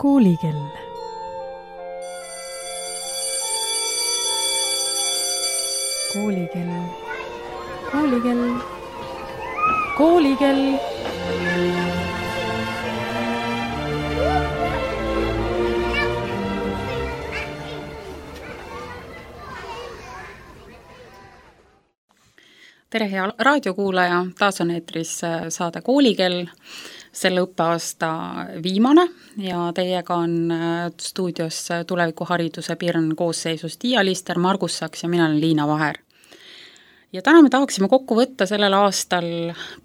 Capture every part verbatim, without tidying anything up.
Koolikell. Koolikell. Koolikell. Koolikell. Tere, hea raadiokuulaja, taas on eetris saade Koolikell, selle õppeaasta viimane ja teiega on stuudios tulevikuhariduse Pirn koosseisus Tiia Lister, Margus Saks ja mina olen Liina Vaher. Ja täna me tahaksime kokku võtta sellel aastal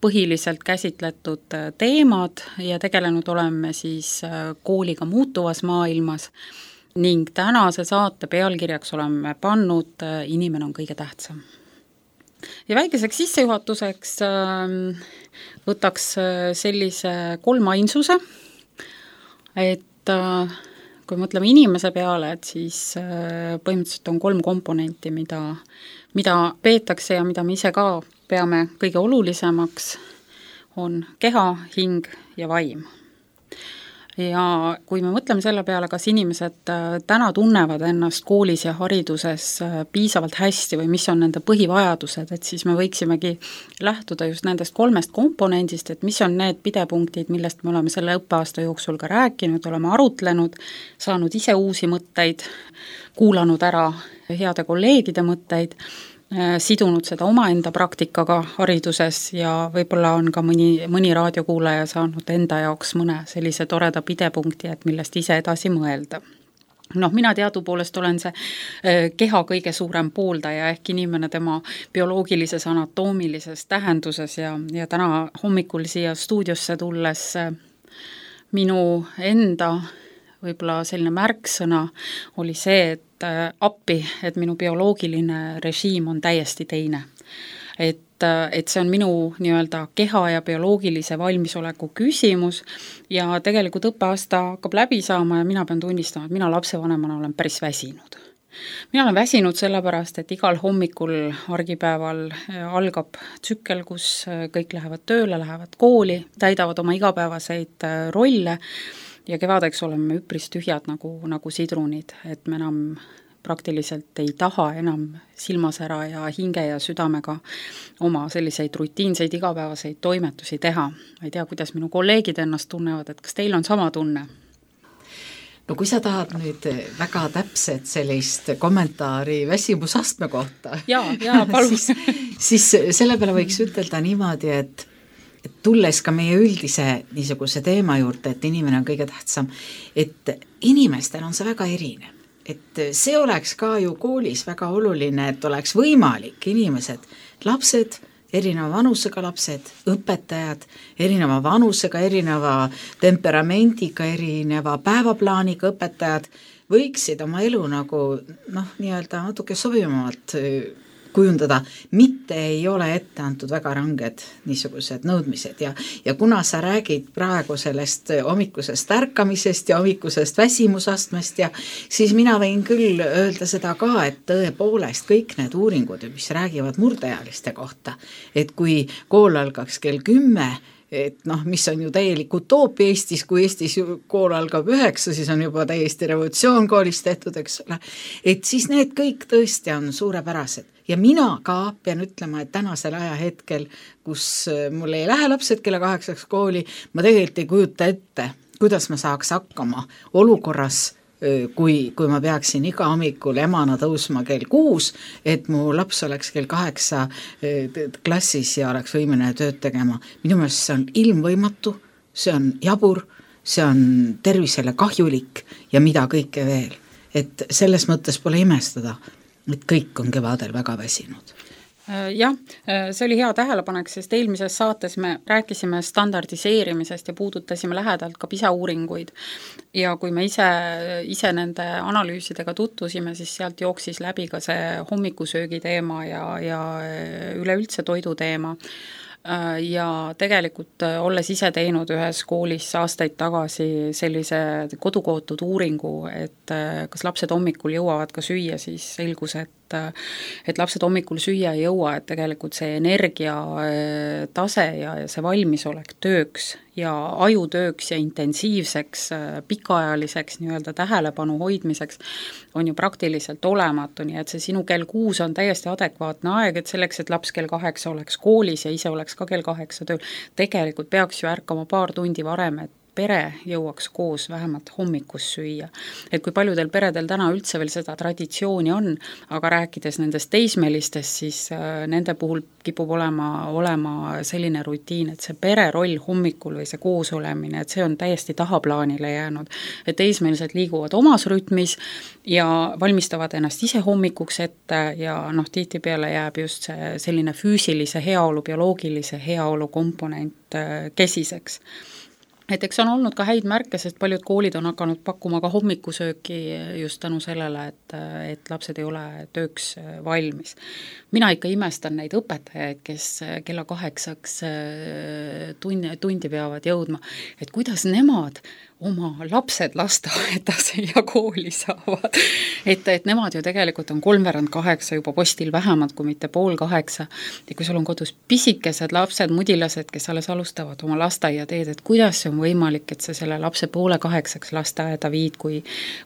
põhiliselt käsitletud teemad ja tegelenud oleme siis kooliga muutuvas maailmas ning tänase saate pealkirjaks oleme pannud Inimene on kõige tähtsam. Ja väikeseks sissejuhatuseks võtaks sellise kolmainsuse, et kui mõtleme inimese peale, et siis põhimõtteliselt on kolm komponenti, mida, mida peetakse ja mida me ise ka peame kõige olulisemaks, on keha, hing ja vaim. Ja kui me mõtleme selle peale, kas inimesed täna tunnevad ennast koolis ja hariduses piisavalt hästi või mis on nende põhivajadused, et siis me võiksimegi lähtuda just nendest kolmest komponendist, et mis on need pidepunktid, millest me oleme selle õppeaasta jooksul ka rääkinud, oleme arutlenud, saanud ise uusi mõtteid, kuulanud ära heade kolleegide mõtteid, sidunud seda omaenda praktikaga hariduses ja võib-olla on ka mõni, mõni raadiokuulaja saanud enda jaoks mõne sellise toreda pidepunkti, et millest ise edasi mõelda. Noh, mina teadupoolest olen see keha kõige suurem pooldaja ehk inimene tema bioloogilises anatoomilises tähenduses ja, ja täna hommikul siia stuudiosse tulles minu enda võib-olla selline märksõna oli see, et appi, et minu bioloogiline režiim on täiesti teine. Et, et see on minu nii-öelda keha ja bioloogilise valmisoleku küsimus ja tegelikult õppeaasta hakkab läbi saama ja mina pean tunnistama, et mina lapsevanemana olen päris väsinud. Mina olen väsinud sellepärast, et igal hommikul argipäeval algab tsükkel, kus kõik lähevad tööle, lähevad kooli, täidavad oma igapäevaseid rolle ja kevadeks oleme üpris tühjad nagu, nagu sidrunid, et me enam praktiliselt ei taha enam silmasära ja hinge ja südamega oma selliseid rutiinseid igapäevaseid toimetusi teha. Ma ei tea, kuidas minu kolleegid ennast tunnevad, et kas teil on sama tunne? No kui sa tahad nüüd väga täpset sellist kommentaari väsimusastme kohta, ja, ja, siis, siis selle peale võiks ütelda niimoodi, et et tulles ka meie üldise niisuguse teema juurde, et inimene on kõige tähtsam, et inimestel on see väga erinev. Et see oleks ka ju koolis väga oluline, et oleks võimalik inimesed, lapsed, erineva vanusega lapsed, õpetajad, erineva vanusega, erineva temperamendiga, erineva päevaplaaniga õpetajad võiksid oma elu nagu noh, nii-öelda natuke sobivamalt kujundada, mitte ei ole ette antud väga ranged niisugused nõudmised ja, ja kuna sa räägid praegu sellest hommikusest ärkamisest ja hommikusest väsimusastmest ja siis mina võin küll öelda seda ka, et tõepoolest kõik need uuringud, mis räägivad murdeealiste kohta, et kui kool algaks kell kümme, et noh, mis on ju täielik utoopia Eestis, kui Eestis kool algab üheksa, siis on juba täiesti revolutsioon koolis tehtud, eks ole, et siis need kõik tõesti on suurepärased. Ja mina ka pean ütlema, et tänasel ajahetkel, kus mul ei lähe lapsed kella kaheksaks kooli, ma tegelikult ei kujuta ette, kuidas ma saaks hakkama olukorras, kui, kui ma peaksin iga hommikul emana tõusma kell kuus, et mu laps oleks kell kaheksa klassis ja oleks võimeline tööd tegema. Minu meelest see on ilmvõimatu, see on jabur, see on tervisele kahjulik ja mida kõike veel. Et selles mõttes pole imestada, et kõik on kevadel väga väsinud. Jah, see oli hea tähelepanek, sest eelmises saates me rääkisime standardiseerimisest ja puudutasime lähedalt ka PISA uuringuid ja kui me ise, ise nende analüüsidega tutvusime, siis sealt jooksis läbi ka see hommikusöögi teema ja, ja üleüldse toidu teema. Ja tegelikult olles ise teinud ühes koolis aastaid tagasi sellise kodukootud uuringu, et kas lapsed hommikul jõuavad ka süüa, siis selgus, et et et lapsed hommikul süüa ei jõua, et tegelikult see energia tase ja, ja see valmisolek tööks ja ajutööks ja intensiivseks, pikaajaliseks nii-öelda tähelepanu hoidmiseks on ju praktiliselt olematu, nii et see sinu kell kuus on täiesti adekvaatne aeg, et selleks, et laps kell kaheksa oleks koolis ja ise oleks ka kell kaheksa tööl, tegelikult peaks ju ärkama paar tundi varem, et pere jõuaks koos vähemalt hommikus süüa. Et kui paljudel peredel täna üldse veel seda traditsiooni on, aga rääkides nendest teismelistest, siis nende puhul kipub olema, olema selline rutiin, et see pere roll hommikul või see koosolemine, et see on täiesti tahaplaanile jäänud. Et teismelised liiguvad omas rütmis ja valmistavad ennast ise hommikuks ette ja noh, tihtipeale jääb just see selline füüsilise heaolu, bioloogilise heaolu komponent kesiseks. Et eks on olnud ka häid märke, sest paljud koolid on hakanud pakkuma ka hommikusööki just tänu sellele, et, et lapsed ei ole tööks valmis. Mina ikka imestan neid õpetajaid, kes kella kaheksaks tundi, tundi peavad jõudma, et kuidas nemad oma lapsed lasteaedas ja kooli saavad. Et, et nemad ju tegelikult on kolmveerand kaheksa juba postil vähemalt, kui mitte pool kaheksa. Ja kui sul on kodus pisikesed lapsed, mudilased, kes alles alustavad oma lasteaia teed, et kuidas see on võimalik, et sa selle lapse poole kaheksaks lasteaeda viid, kui,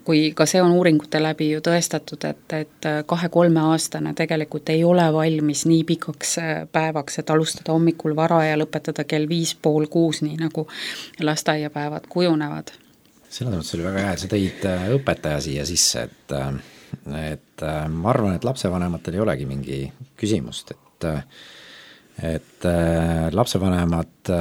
kui ka see on uuringute läbi ju tõestatud, et, et kahe-kolme aastane tegelikult ei ole valmis nii pikaks päevaks, et alustada hommikul vara ja lõpetada kell viis pool kuus, nii nagu lasteaiapäevad kujunevad. Selles mõttes oli väga hea, et sa tõid õpetaja siia sisse, et, et ma arvan, et lapsevanematel ei olegi mingi küsimust, et, et lapsevanemad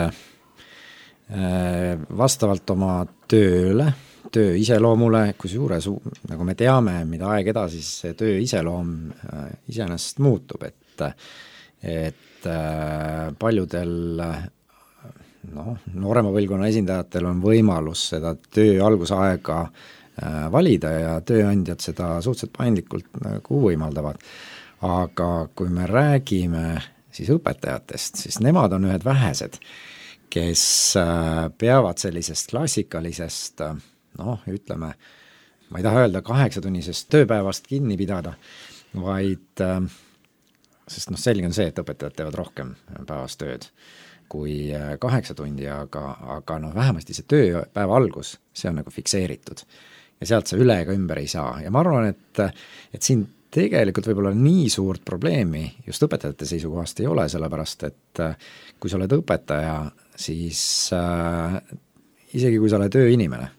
vastavalt oma tööle, töö iseloomule, kusjuures, nagu me teame, mida aeg edasi, siis see töö iseloom iseenesest muutub, et, et paljudel noh, noorema põlvkonna esindajatel on võimalus seda töö algusaega valida ja tööandjad seda suhteliselt paindlikult nagu võimaldavad. Aga kui me räägime siis õpetajatest, siis nemad on ühed vähesed, kes peavad sellisest klassikalisest, noh, ütleme, ma ei taha öelda kaheksatunnisest tööpäevast kinni pidada, vaid, sest noh, selge on see, et õpetajad teevad rohkem päevas tööd kui kaheksa tundi, aga, aga noh, vähemasti see tööpäeva algus, see on nagu fikseeritud ja sealt sa üle ega ümber ei saa ja ma arvan, et, et siin tegelikult võib-olla nii suurt probleemi just õpetajate seisukohast ei ole, sellepärast et kui sa oled õpetaja, siis äh, isegi kui sa oled ööinimene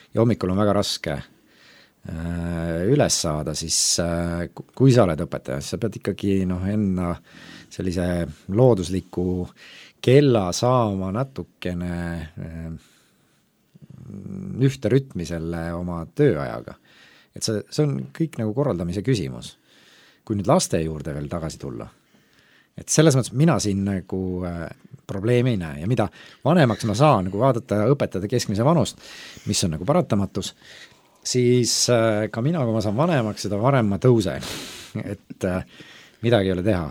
ja hommikul on väga raske äh, üles saada, siis äh, kui sa oled õpetaja, siis sa pead ikkagi noh, enna sellise loodusliku kella saama natukene ühte rütmi selle oma tööajaga. Et see, see on kõik nagu korraldamise küsimus. Kui nüüd laste juurde veel tagasi tulla, et selles mõttes mina siin nagu probleemi ei näe ja mida vanemaks ma saan nagu vaadata õpetajate keskmise vanust, mis on nagu paratamatus, siis ka mina, kui ma saan vanemaks, seda varem ma tõusen, et midagi ei ole teha.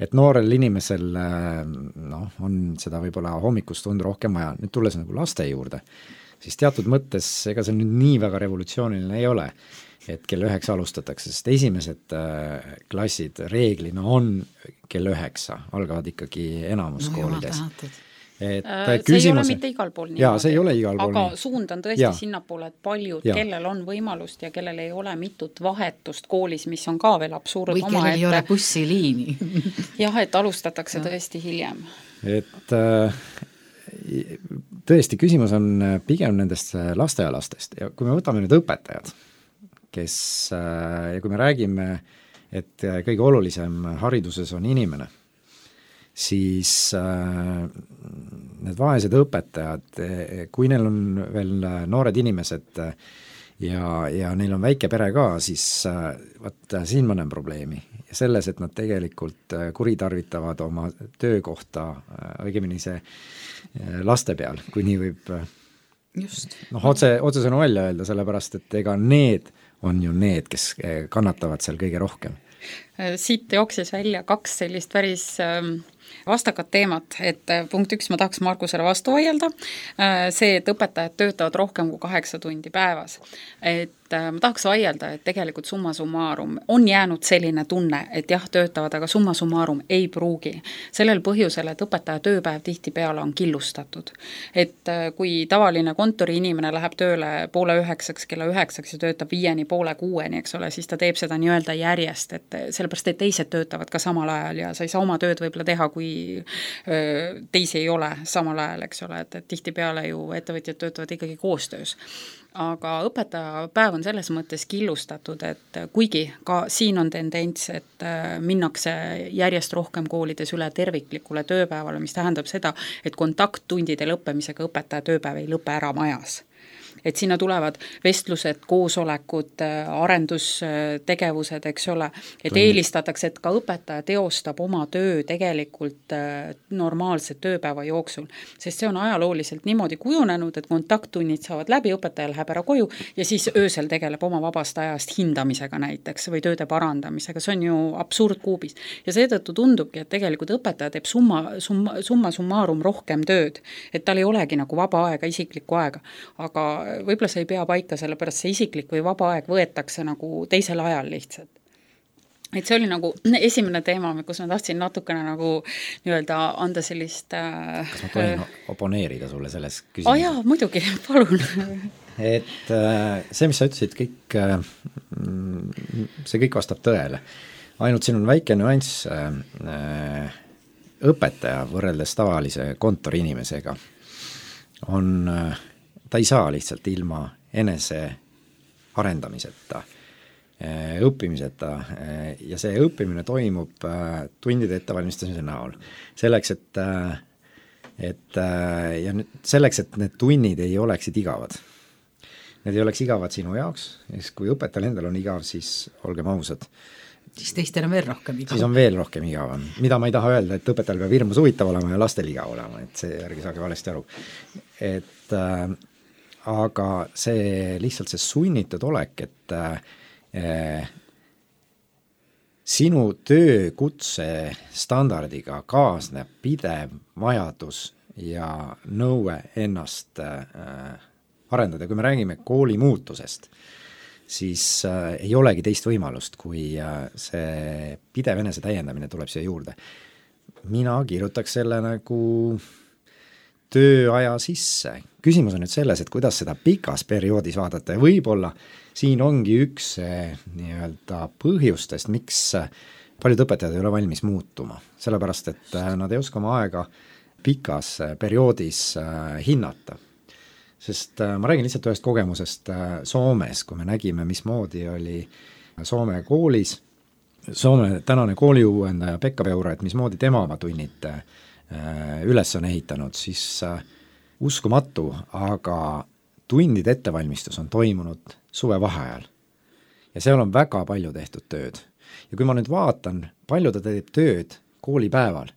Et noorel inimesel noh, on seda võib-olla hommikust tund rohkem vaja. Nüüd tulles nagu laste juurde, siis teatud mõttes ega see nüüd nii väga revolutsiooniline ei ole, et kell üheksa alustatakse, sest esimesed klassid reeglina on kell üheksa, algavad ikkagi enamus no, koolides. Et see küsimuse... ei ole mitte igal pool nii. Jaa, see ei ole igal pool aga nii. Suund on tõesti sinnapoole, et paljud, ja. Kellel on võimalust ja kellel ei ole mitut vahetust koolis, mis on ka veel absurd või oma, kellel ei ole bussiliini. jah, et alustatakse ja. Tõesti hiljem. Et tõesti, küsimus on pigem nendest lastealastest ja kui me võtame nüüd õpetajad, kes, ja kui me räägime, et kõige olulisem hariduses on inimene, siis äh, need vaesed õpetajad, kui neil on veel noored inimesed ja, ja neil on väike pere ka, siis äh, vaat siin ma näen probleemi. Ja selles, et nad tegelikult kuritarvitavad oma töökohta, õigemini see laste peal, kui nii võib Just. noh, otse, otsesõnu välja öelda, sellepärast, et ega need on ju need, kes kannatavad seal kõige rohkem. Siit jooksis välja kaks sellist päris vastakad teemad, et punkt üks, ma tahaks Markusele vastu vaielda, see, et õpetajad töötavad rohkem kui kaheksa tundi päevas. Et ma tahaks vaielda, et tegelikult summa summarum on jäänud selline tunne, et jah, töötavad, aga summa summarum ei pruugi. Sellel põhjusel, et õpetaja tööpäev tihtipeale on killustatud. Et kui tavaline kontori inimene läheb tööle poole üheksaks, kella üheksaks ja töötab viieni poole kuueni, eks ole, siis ta teeb seda nii-öelda järjest, et sellepärast, et teised töötavad ka samal ajal ja sa ei saa oma tööd võib-olla teha, kui teisi ei ole samal ajal, eks ole, et, et tihtipeale ju ettevõtjad töötavad ikkagi koostöös. Aga õpetaja päev on selles mõttes killustatud, et kuigi ka siin on tendents, et minnakse järjest rohkem koolides üle terviklikule tööpäevale, mis tähendab seda, et kontakttundide lõppemisega õpetaja tööpäev ei lõpe ära majas. Et sinna tulevad vestlused, koosolekud, arendustegevused, eks ole, et eelistatakse, et ka õpetaja teostab oma töö tegelikult normaalse tööpäeva jooksul, sest see on ajalooliselt niimoodi kujunenud, et kontakttunnid saavad läbi, õpetaja läheb ära koju ja siis öösel tegeleb oma vabast ajast hindamisega näiteks või tööde parandamisega, see on ju absurd kuubis. Ja seetõttu tundubki, et tegelikult õpetaja teeb summa, summa, summa summarum rohkem tööd, et tal ei olegi nagu vaba aega, isiklikku aega, aga võib-olla see ei pea paika, sellepärast see isiklik või vaba aeg võetakse nagu teisel ajal lihtsalt. Et see oli nagu esimene teema, kus ma tahtsin natukene nagu nii-öelda anda sellist... Kas ma tohin äh, oponeerida sulle selles küsimuses? Oh jaa, muidugi, palun. Et see, mis sa ütlesid, kõik, see kõik vastab tõele. Ainult siin on väike nüanss õpetaja võrreldes tavalise kontori inimesega on... ta ei saa lihtsalt ilma enese arendamiseta, õppimiseta ja see õppimine toimub tundide ettevalmistamise näol. Selleks, et, et, ja nüüd selleks, et need tunnid ei oleksid igavad. Need ei oleks igavad sinu jaoks, kui õpetajal endal on igav, siis olgem ausad. Siis teistel on veel rohkem igav. Siis on veel rohkem igav. Mida ma ei taha öelda, et õpetajal peab hirmus huvitav olema ja lastel igav olema, et see järgi saage valesti aru. Et aga see lihtsalt see sunnitud olek, et äh, sinu töökutse standardiga kaasneb pidev vajadus ja nõue ennast äh, arendada. Kui me räägime kooli muutusest, siis äh, ei olegi teist võimalust, kui äh, see pidev enese täiendamine tuleb siia juurde. Mina kirjutaks selle nagu tööaja sisse. Küsimus on nüüd selles, et kuidas seda pikas perioodis vaadata ja võib-olla siin ongi üks nii-öelda põhjustest, miks paljud õpetajad ei ole valmis muutuma. Sellepärast, et nad ei oska oma aega pikas perioodis hinnata. Sest ma räägin lihtsalt ühest kogemusest Soomes, kui me nägime, mismoodi oli Soome koolis. Soome tänane kooliuuendaja Pekka Peura, et mismoodi tema oma tunnid üles on ehitanud, siis uskumatu, aga tundide ettevalmistus on toimunud suvevaheajal. Ja seal on väga palju tehtud tööd. Ja kui ma nüüd vaatan, palju ta teeb tööd koolipäeval,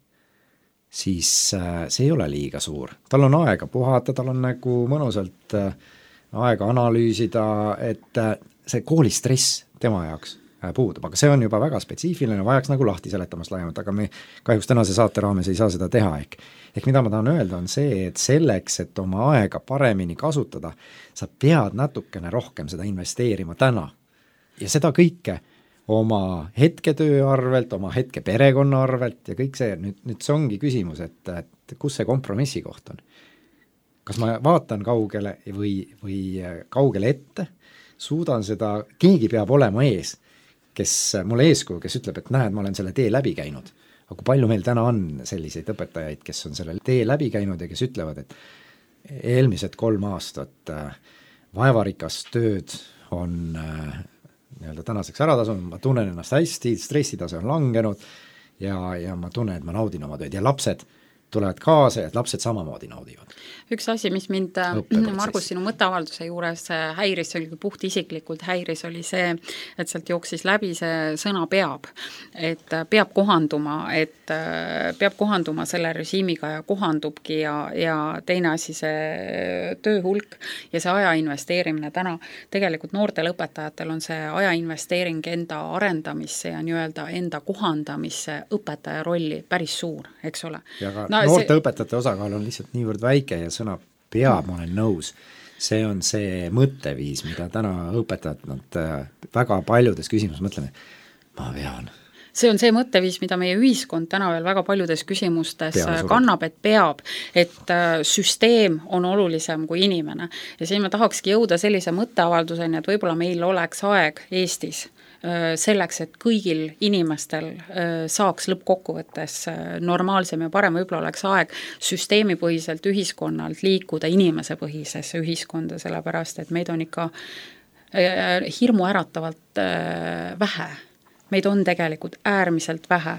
siis see ei ole liiga suur. Tal on aega puhata, tal on nagu mõnusalt aega analüüsida, et see koolistress tema jaoks puudub, aga see on juba väga spetsiifiline, vajaks nagu lahti seletamast laiemalt, aga me kahjuks tänase saate raames ei saa seda teha. Ehk, ehk mida ma tahan öelda on see, et selleks, et oma aega paremini kasutada, sa pead natukene rohkem seda investeerima täna. Ja seda kõike oma hetketöö arvelt, oma hetke perekonna arvelt ja kõik see, nüüd, nüüd see ongi küsimus, et, et kus see kompromissi koht on. Kas ma vaatan kaugele või, või kaugele ette, suudan seda, keegi peab olema ees, kes mulle eeskuju, kes ütleb, et näed, ma olen selle tee läbi käinud. Aga kui palju meil täna on selliseid õpetajaid, kes on selle tee läbi käinud ja kes ütlevad, et eelmised kolm aastat vaevarikast tööd on nii-öelda tänaseks ära tasunud, ma tunnen ennast hästi, stressitase on langenud ja, ja ma tunnen, et ma naudin oma tööd ja lapsed tulevad kaasa ja lapsed samamoodi naudivad. Üks asi, mis mind, Margus, sinu mõtteavalduse juures häiris, oli puht isiklikult häiris, oli see, et sealt jooksis läbi see sõna peab. Et peab kohanduma, et peab kohanduma selle režiimiga ja kohandubki ja, ja teine asi see tööhulk ja see aja investeerimine täna. Tegelikult noortel õpetajatel on see aja investeering enda arendamisse ja nii-öelda enda kohandamisse õpetaja rolli päris suur, eks ole. Ja ka no, noorte see... õpetajate osakaal on lihtsalt niivõrd väike ja sõna peab, ma olen nõus. See on see mõtteviis, mida täna õpetajad nad väga paljudes küsimus mõtleme, ma pean. See on see mõtteviis, mida meie ühiskond täna veel väga paljudes küsimustes kannab, et peab, et süsteem on olulisem kui inimene. Ja siin ma tahakski jõuda sellise mõtteavalduseni, et võib-olla meil oleks aeg Eestis selleks, et kõigil inimestel saaks lõppkokkuvõttes normaalsem ja parem, võib-olla oleks aeg süsteemipõhiselt ühiskonnalt liikuda inimesepõhisesse ühiskonda, sellepärast et meid on ikka hirmu äratavalt vähe. Meid on tegelikult äärmiselt vähe.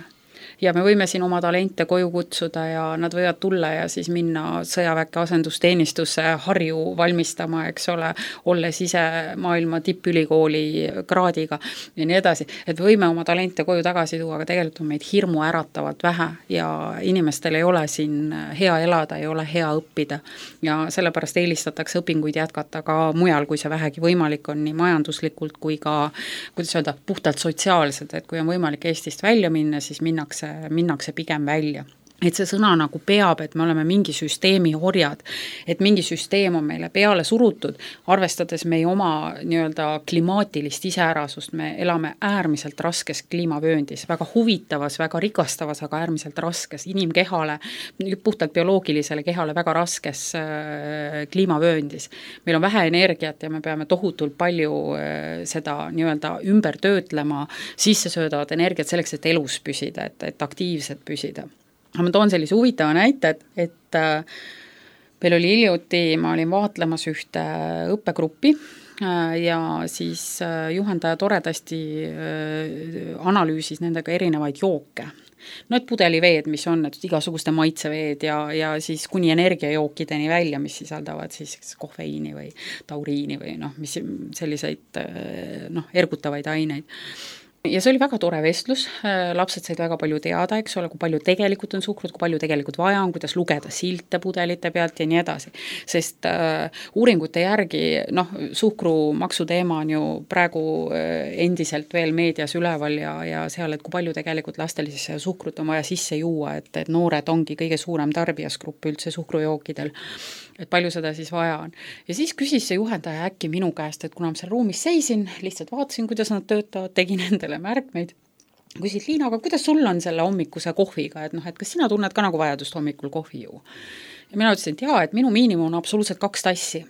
Ja me võime siin oma talente koju kutsuda ja nad võivad tulla ja siis minna sõjaväkke asendusteenistusse Harju valmistama, eks ole, olles ise maailma tippülikooli kraadiga ja nii edasi. Et võime oma talente koju tagasi tuua, aga tegelikult on meid hirmu äratavalt vähe ja inimestel ei ole siin hea elada, ei ole hea õppida ja sellepärast eelistatakse õpinguid jätkata ka mujal, kui see vähegi võimalik on nii majanduslikult kui ka, kuidas öelda, puhtalt sotsiaalselt, et kui on võimalik Eestist välja minna, siis minnakse minnakse pigem välja. Et see sõna nagu peab, et me oleme mingi süsteemi horjad, et mingi süsteem on meile peale surutud, arvestades meie oma nii-öelda klimaatilist iseärasust, me elame äärmiselt raskes kliimavööndis, väga huvitavas, väga rikastavas, aga äärmiselt raskes inimkehale, puhtalt bioloogilisele kehale väga raskes äh, kliimavööndis. Meil on vähe energiat ja me peame tohutult palju äh, seda nii-öelda ümber töötlema, sisse söödavat energiat selleks, et elus püsida, et, et aktiivselt püsida. Ma toon sellise huvitava näite, et, et äh, meil oli hiljuti, ma olin vaatlemas ühte õppegruppi äh, ja siis äh, juhendaja toredasti äh, analüüsis nendega erinevaid jooke. No et pudeliveed, mis on, et igasuguste maitseveed ja, ja siis kuni energiajookideni välja, mis sisaldavad siis kofeiini või tauriini või noh, mis selliseid äh, noh, ergutavaid aineid. Ja see oli väga tore vestlus, lapsed said väga palju teada, eks ole, kui palju tegelikult on suhkrut, kui palju tegelikult vaja on, kuidas lugeda silte pudelite pealt ja nii edasi. Sest uh, uuringute järgi, noh, suhkrumaksu teema on ju praegu uh, endiselt veel meedias üleval ja, ja seal, et kui palju tegelikult lastel siis suhkrut on vaja sisse juua, et, et noored ongi kõige suurem tarbijasgrupp üldse suhkrujookidel, et palju seda siis vaja on. Ja siis küsis see juhendaja äkki minu käest, et kuna ma seal ruumis seisin, lihtsalt vaatasin, kuidas nad töötavad, tegin endale märkmeid. Küsid, Liina, aga kuidas sul on selle hommikuse kohviga, et noh, et kas sina tunned ka nagu vajadust hommikul kohvi juua? Ja mina ütlesin, et jaa, et minu miinimum on absoluutselt kaks tassi.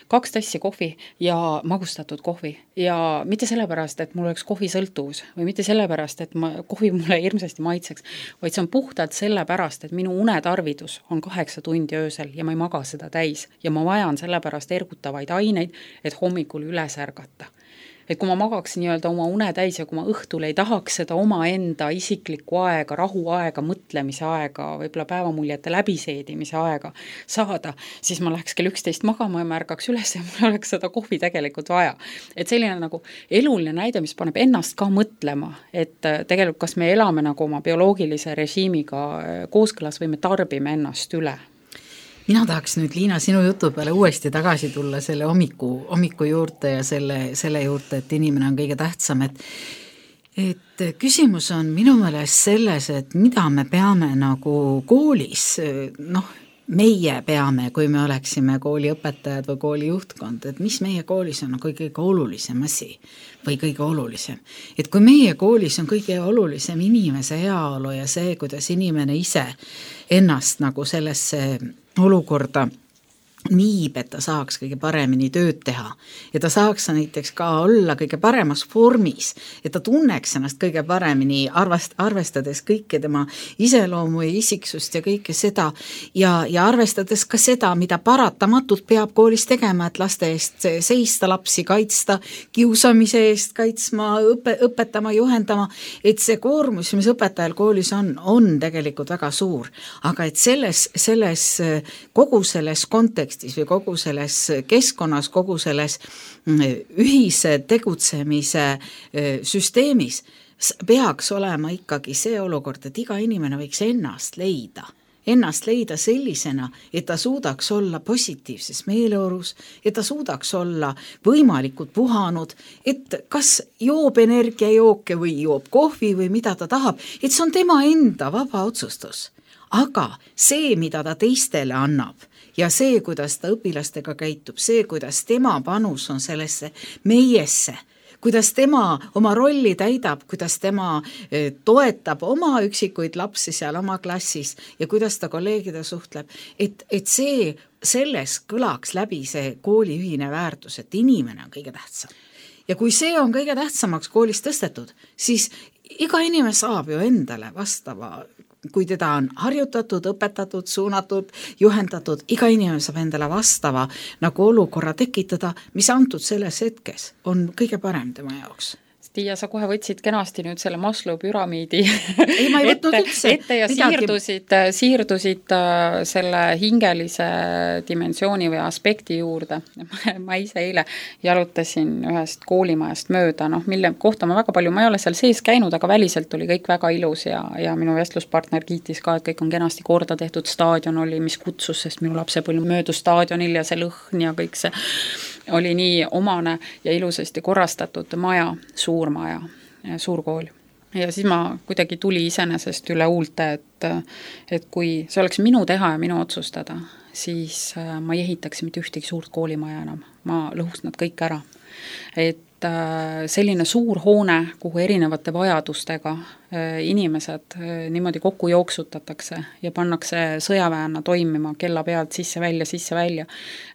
Kaks tassi kohvi ja magustatud kohvi ja mitte sellepärast, et mul oleks kohvisõltuvus või mitte sellepärast, et ma, kohvi mulle hirmsasti maitseks, vaid see on puhtalt sellepärast, et minu unetarvidus on kaheksa tundi öösel ja ma ei maga seda täis ja ma vajan sellepärast ergutavaid aineid, et hommikul üles ärgata. Et kui ma magaks nii-öelda oma une täis ja kui ma õhtul ei tahaks seda oma enda isiklikku aega, rahuaega, mõtlemise aega, võib-olla päevamuljete läbiseedimise aega saada, siis ma läheks kell üksteist magama ja ma ärgaks üles ja mul oleks seda kohvi tegelikult vaja. Et selline nagu eluline näide, mis paneb ennast ka mõtlema, et tegelikult kas me elame nagu oma bioloogilise režiimiga kooskõlas või me tarbime ennast üle. Mina tahaks nüüd, Liina, sinu jutu peale uuesti tagasi tulla selle hommiku, hommiku juurde ja selle, selle juurde, et inimene on kõige tähtsam, et et küsimus on minu meelest selles, et mida me peame nagu koolis, noh, meie peame, kui me oleksime kooliõpetajad või kooli juhtkond, et mis meie koolis on kõige, kõige olulisem asi või kõige olulisem. Et kui meie koolis on kõige olulisem inimese heaolu ja see, kuidas inimene ise ennast nagu sellesse olukorda niib, et ta saaks kõige paremini tööd teha ja ta saaks näiteks ka olla kõige paremas vormis, et ta tunneks ennast kõige paremini, arvast, arvestades kõike tema iseloomu ja isiksust ja kõike seda ja, ja arvestades ka seda, mida paratamatult peab koolis tegema, et laste eest seista, lapsi kaitsta, kiusamise eest kaitsma, õpe, õpetama, juhendama, et see koormus, mis õpetajal koolis on, on tegelikult väga suur, aga et selles, selles kogu selles kontekstis või kogu selles keskkonnas, kogu selles ühise tegutsemise süsteemis peaks olema ikkagi see olukord, et iga inimene võiks ennast leida. Ennast leida sellisena, et ta suudaks olla positiivses meeleolus, et ta suudaks olla võimalikult puhanud, et kas joob energiajooke või joob kohvi või mida ta tahab, et see on tema enda vaba otsustus. Aga see, mida ta teistele annab, ja see, kuidas ta õpilastega käitub, see, kuidas tema panus on sellesse meiesse, kuidas tema oma rolli täidab, kuidas tema toetab oma üksikuid lapsi seal oma klassis ja kuidas ta kolleegide suhtleb, et, et see, selles kõlaks läbi see kooli ühine väärtus, et inimene on kõige tähtsam. Ja kui see on kõige tähtsamaks koolis tõstetud, siis iga inimene saab ju endale vastava, kui teda on harjutatud, õpetatud, suunatud, juhendatud, iga inimene saab endale vastava nagu olukorra tekitada, mis antud selles hetkes on kõige parem tema jaoks. Tiia, sa kohe võtsid kenasti nüüd selle Maslow püramiidi ei, ma ei võtnud üldse ette ja midagi. siirdusid, siirdusid selle hingelise dimensiooni või aspekti juurde. ma ise eile jalutasin ühest koolimajast mööda, noh, mille kohta ma väga palju, ma ei ole seal sees käinud, aga väliselt oli kõik väga ilus ja, ja minu vestluspartner kiitis ka, et kõik on kenasti korda tehtud, staadion oli, mis kutsus, sest minu lapsepõlv möödus staadionil ja see lõhn ja kõik see oli nii omane ja ilusasti korrastatud maja, suur maja, suur kool. Ja siis ma kuidagi tuli iseenesest üle huulte, et, et kui see oleks minu teha ja minu otsustada, siis ma ei ehitaks mitte ühtegi suurt koolimaja enam. Ma lõhuks nad kõik ära. Et selline suur hoone, kuhu erinevate vajadustega inimesed niimoodi kokku jooksutatakse ja pannakse sõjaväena toimima kella pealt sisse-välja, sisse-välja.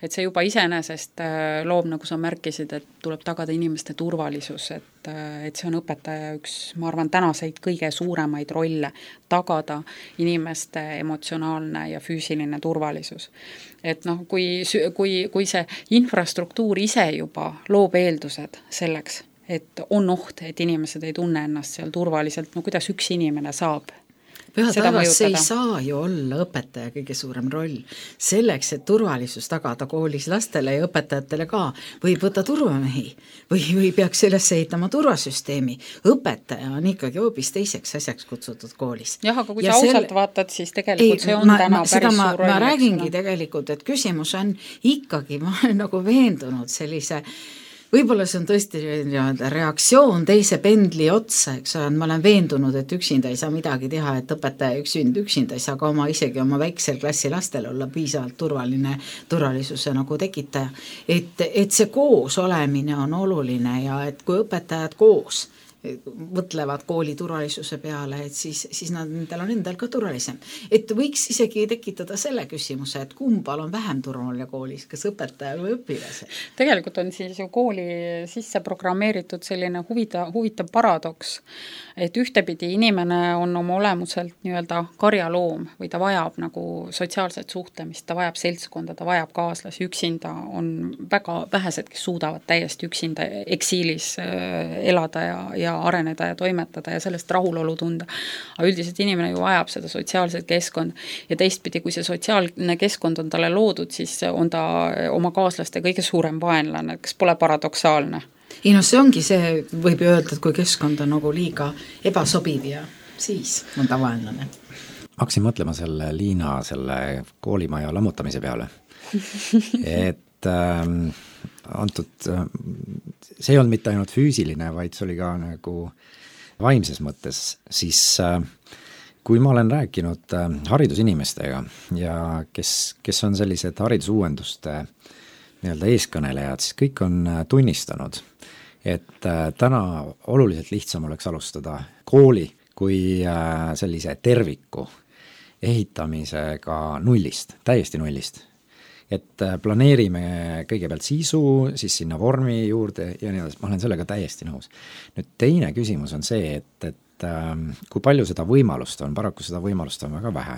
Et see juba iseenesest loob, nagu sa märkisid, et tuleb tagada inimeste turvalisus, et, et see on õpetaja üks, ma arvan, tänaseid kõige suuremaid rolle, tagada inimeste emotsionaalne ja füüsiline turvalisus. Et noh, kui, kui, kui see infrastruktuur ise juba loob eeldused selleks, et on oht, et inimesed ei tunne ennast seal turvaliselt, no kuidas üks inimene saab Püha taevas, see ei saa ju olla õpetaja kõige suurem roll. Selleks, et turvalisus tagada koolis lastele ja õpetajatele ka, võib võtta turvamehi või, või peaks üles ehitama turvasüsteemi. Õpetaja on ikkagi hoopis teiseks asjaks kutsutud koolis. Jah, aga kui ja sa ausalt selle... vaatad, siis tegelikult ei, see on ma, täna ma, päris ma, suur roll. Ma räägingi tegelikult, et küsimus on ikkagi, ma olen nagu veendunud sellise võib-olla see on tõesti reaktsioon teise pendli otsa, eks ole, ma olen veendunud, et üksinda ei saa midagi teha, et õpetaja üksinda, üksinda ei saa ka oma, isegi oma väiksel klassi lastel olla piisavalt turvaline, turvalisuse nagu tekitaja. Et, et see koos olemine on oluline ja et kui õpetajad koos mõtlevad kooli turvalisuse peale, et siis, siis nad, nendel on endal ka turvalisem. Et võiks isegi tekitada selle küsimuse, et kumbal on vähem turvaline koolis, kas õpetajal või õpilase? Tegelikult on siis ju kooli sisse programmeeritud selline huvita, huvitav paradoks, et ühtepidi inimene on oma olemuselt nii-öelda karjaloom või ta vajab nagu sotsiaalset suhtlemist, ta vajab seltskonda, ta vajab kaaslasi, üksinda on väga vähesed, kes suudavad täiesti üksinda eksiilis elada ja, ja areneda ja toimetada ja sellest rahulolu tunda. Aga üldiselt inimene ju vajab seda sotsiaalset keskkond ja teistpidi, kui see sotsiaalne keskkond on talle loodud, siis on ta oma kaaslaste kõige suurem vaenlane, kas pole paradoksaalne? Ei no see ongi see, võib öelda, et kui keskkond on nagu liiga ebasobiv ja siis on ta vaenlane. Hakkasin mõtlema selle Liina selle koolimaja lammutamise peale. et ähm, antud, see ei olnud mitte ainult füüsiline, vaid see oli ka nagu vaimses mõttes, siis kui ma olen rääkinud haridusinimestega ja kes, kes on sellised haridusuuenduste nii-öelda eeskõnelejad, siis kõik on tunnistanud, et täna oluliselt lihtsam oleks alustada kooli kui sellise terviku ehitamisega nullist, täiesti nullist. et planeerime kõigepealt sisu, siis sinna vormi juurde ja nii edasi, ma olen sellega täiesti nõus. Nüüd teine küsimus on see, et, et äh, kui palju seda võimalust on, paraku seda võimalust on väga vähe.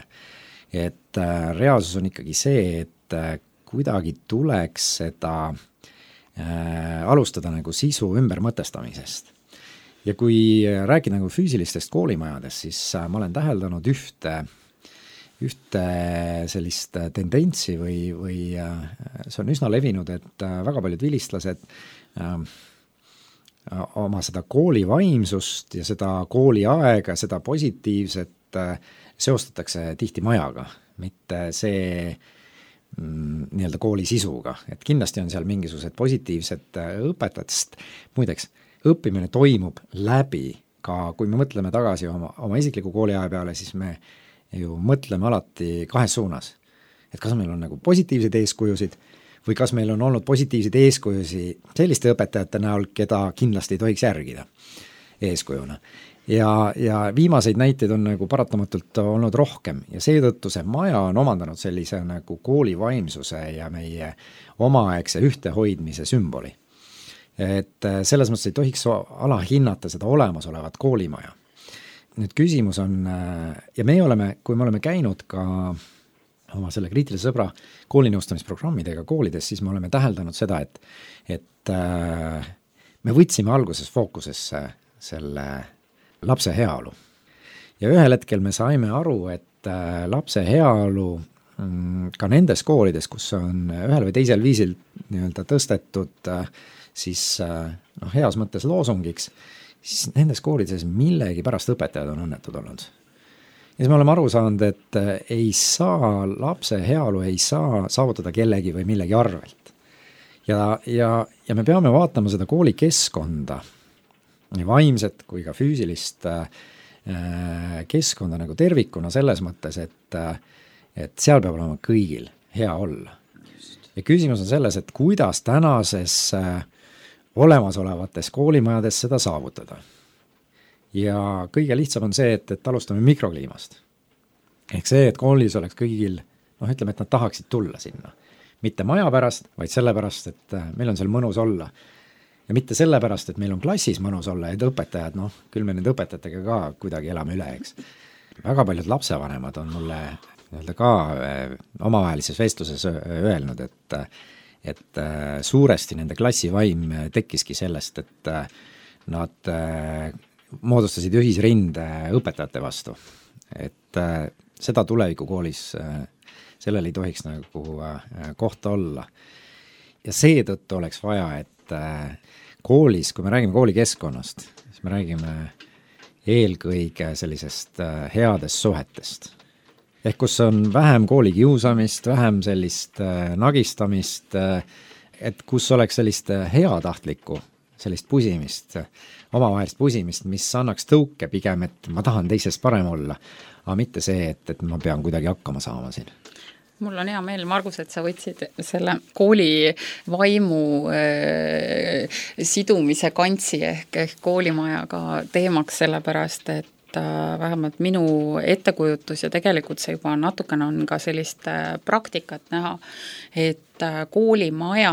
Et äh, reaalsus on ikkagi see, et äh, kuidagi tuleks seda äh, alustada nagu sisu ümbermõtestamisest. Ja kui rääkida nagu füüsilistest koolimajadest, siis äh, ma olen täheldanud ühte ühte sellist tendentsi või, või see on üsna levinud, et väga paljud vilistlased äh, oma seda kooli vaimsust ja seda kooli aega, seda positiivset äh, seostatakse tihti majaga, mitte see mm, nii-öelda kooli sisuga, et kindlasti on seal mingisugused positiivsed õpetajatest, muideks, õppimine toimub läbi ka, kui me mõtleme tagasi oma, oma isikliku kooliaja peale, siis me ju mõtleme alati kahes suunas, et kas meil on nagu positiivseid eeskujusid või kas meil on olnud positiivseid eeskujusi selliste õpetajate näol, keda kindlasti ei tohiks järgida eeskujuna. Ja, ja viimaseid näiteid on nagu paratamatult olnud rohkem ja seetõttu see maja on omandanud sellise nagu kooli vaimsuse ja meie omaaegse ühtehoidmise sümboli. Et selles mõttes ei tohiks alahinnata seda olemasolevat koolimaja. Nüüd küsimus on, ja me oleme, kui me oleme käinud ka oma selle kriitilise sõbra koolinõustamisprogrammidega koolides, siis me oleme täheldanud seda, et, et me võtsime alguses fookusesse selle lapse heaolu. Ja ühel hetkel me saime aru, et lapse heaolu ka nendes koolides, kus on ühel või teisel viisil nii-öelda tõstetud siis noh, heas mõttes loosungiks, siis nendes koolides millegi pärast õpetajad on õnnetud olnud. Ja siis me oleme aru saanud, et ei saa, lapse heaolu ei saa saavutada kellegi või millegi arvelt. Ja, ja, ja me peame vaatama seda koolikeskkonda, nii vaimset kui ka füüsilist keskkonda nagu tervikuna selles mõttes, et, et seal peab olema kõigil hea olla. Ja küsimus on selles, et kuidas tänases olemasolevates koolimajades seda saavutada. Ja kõige lihtsam on see, et, et alustame mikrokliimast. Ehk see, et koolis oleks kõigil, noh ütleme, et nad tahaksid tulla sinna. Mitte maja pärast, vaid sellepärast, et meil on seal mõnus olla. Ja mitte sellepärast, et meil on klassis mõnus olla, et õpetajad, noh, küll me nende õpetajatega ka kuidagi elame üle, eks. Väga paljud lapsevanemad on mulle nii-öelda ka omavahelises vestluses öelnud, et et suuresti nende klassivaim tekkiski sellest, et nad moodustasid ühisrinde õpetajate vastu. Et seda tulevikukoolis, sellel ei tohiks nagu kohta olla. Ja seetõttu oleks vaja, et koolis, kui me räägime koolikeskkonnast, siis me räägime eelkõige sellisest headest suhetest. Ehk kus on vähem koolikiusamist, vähem sellist äh, nagistamist, äh, et kus oleks sellist heatahtlikku, sellist pusimist, omavahelist pusimist, mis annaks tõuke pigem, et ma tahan teisest parem olla, aga mitte see, et, et ma pean kuidagi hakkama saama siin. Mul on hea meel, Margus, et sa võtsid selle kooli vaimu äh, sidumise kantsi ehk, ehk koolimajaga teemaks sellepärast, et vähemalt minu ettekujutus ja tegelikult see juba natukene on ka sellist praktikat näha, et koolimaja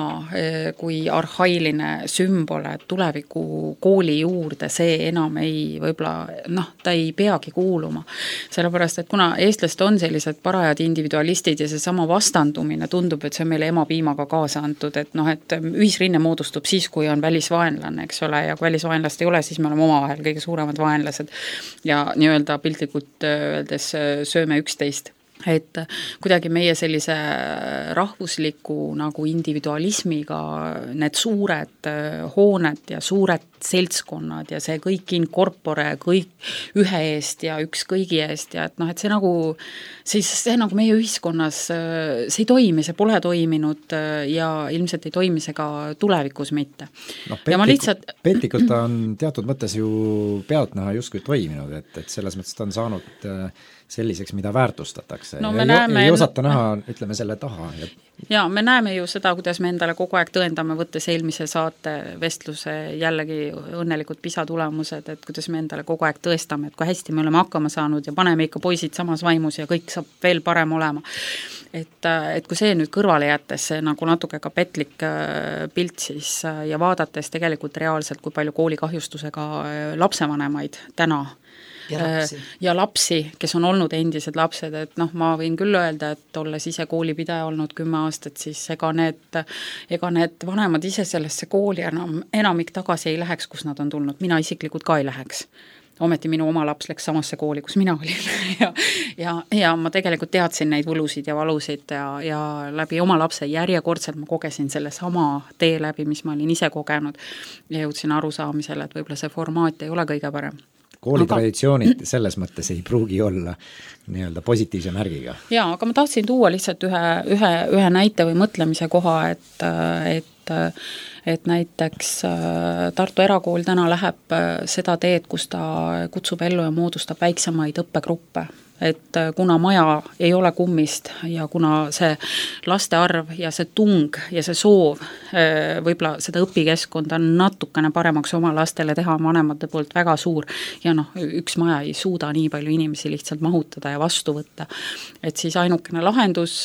kui arhailine sümbol tuleviku kooli juurde, see enam ei võib-olla, noh, ta ei peagi kuuluma. Sellepärast, et kuna eestlased on sellised parajad individualistid ja see sama vastandumine tundub, et see on meile emapiimaga kaasa antud, et noh, et ühisrinne moodustub siis, kui on välisvaenlane, eks ole, ja kui välisvaenlast ei ole, siis me oleme omavahel kõige suuremad vaenlased ja nii-öelda piltlikult öeldes sööme üksteist. Et kuidagi meie sellise rahvusliku nagu individualismiga need suured hooned ja suured seltskonnad ja see kõik in corpore, kõik ühe eest ja üks kõigi eest ja et noh, et see nagu, siis see nagu meie ühiskonnas, see ei toimi, see pole toiminud ja ilmselt ei toimi see ka tulevikus mitte. No, petlikult, ja ma lihtsalt... petlikult on teatud mõttes ju pealtnäha justkui toiminud, et, et selles mõttes ta on saanud selliseks, mida väärtustatakse no, ja näeme, ei osata näha, ütleme selle taha. ja me näeme ju seda, kuidas me endale kogu aeg tõendame, võttes eelmise saate vestluse jällegi õnnelikud PISA tulemused, et kuidas me endale kogu aeg tõestame, et kui hästi me oleme hakkama saanud ja paneme ikka poisid samas vaimus ja kõik saab veel parem olema. Et, et kui see nüüd kõrvale jättes, see nagu natuke ka petlik pilt siis ja vaadates tegelikult reaalselt, kui palju koolikahjustusega lapsevanemaid täna ja lapsi. ja lapsi, kes on olnud endised lapsed, et noh, ma võin küll öelda, et olles ise koolipidaja olnud kümme aastat, siis ega need, ega need vanemad ise sellesse kooli enam, enamik tagasi ei läheks, kus nad on tulnud, mina isiklikult ka ei läheks. Ometi minu oma laps läks samasse kooli, kus mina olin ja, ja, ja ma tegelikult teadsin neid võlusid ja valusid ja, ja läbi oma lapse järjekordselt ma kogesin selle sama tee läbi, mis ma olin ise kogenud ja jõudsin arusaamisele, et võib-olla see formaat ei ole kõige parem. Koolitraditsioonid selles mõttes ei pruugi olla nii-öelda positiivse märgiga. Jaa, aga ma tahtsin tuua lihtsalt ühe, ühe, ühe näite või mõtlemise koha, et, et, et näiteks Tartu Erakool täna läheb seda teed, kus ta kutsub ellu ja moodustab väiksemaid õppegruppe. Et kuna maja ei ole kummist ja kuna see laste arv ja see tung ja see soov võib-olla seda õpikeskkonda natukene paremaks oma lastele teha vanemate poolt väga suur ja noh, üks maja ei suuda nii palju inimesi lihtsalt mahutada ja vastu võtta. Et siis ainukene lahendus,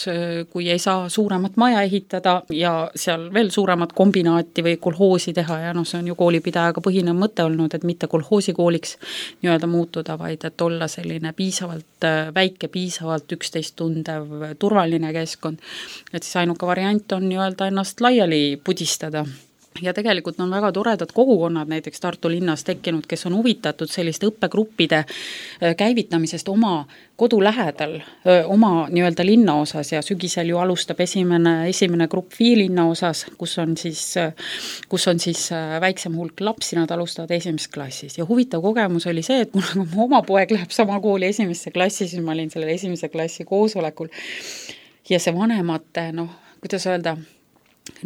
kui ei saa suuremat maja ehitada ja seal veel suuremat kombinaati või kolhoosi teha ja noh, see on ju koolipidajaga põhinev mõte olnud, et mitte kolhoosikooliks nii-öelda muutuda, vaid et olla selline piisavalt väike, piisavalt üksteist tundev, turvaline keskkond, et siis ainuke variant on nii-öelda ennast laiali pudistada. Ja tegelikult on väga toredad kogukonnad näiteks Tartu linnas tekkinud, kes on huvitatud selliste õppegruppide käivitamisest oma kodu lähedal, oma nii-öelda linna osas ja sügisel ju alustab esimene, esimene grupp Vii linna osas, kus on siis, kus on siis väiksem hulk lapsi, nad alustavad esimeses klassis. Ja huvitav kogemus oli see, et kuna mu oma poeg läheb sama kooli esimesse klassi, siis ma olin sellel esimese klassi koosolekul ja see vanemate, noh, kuidas öelda,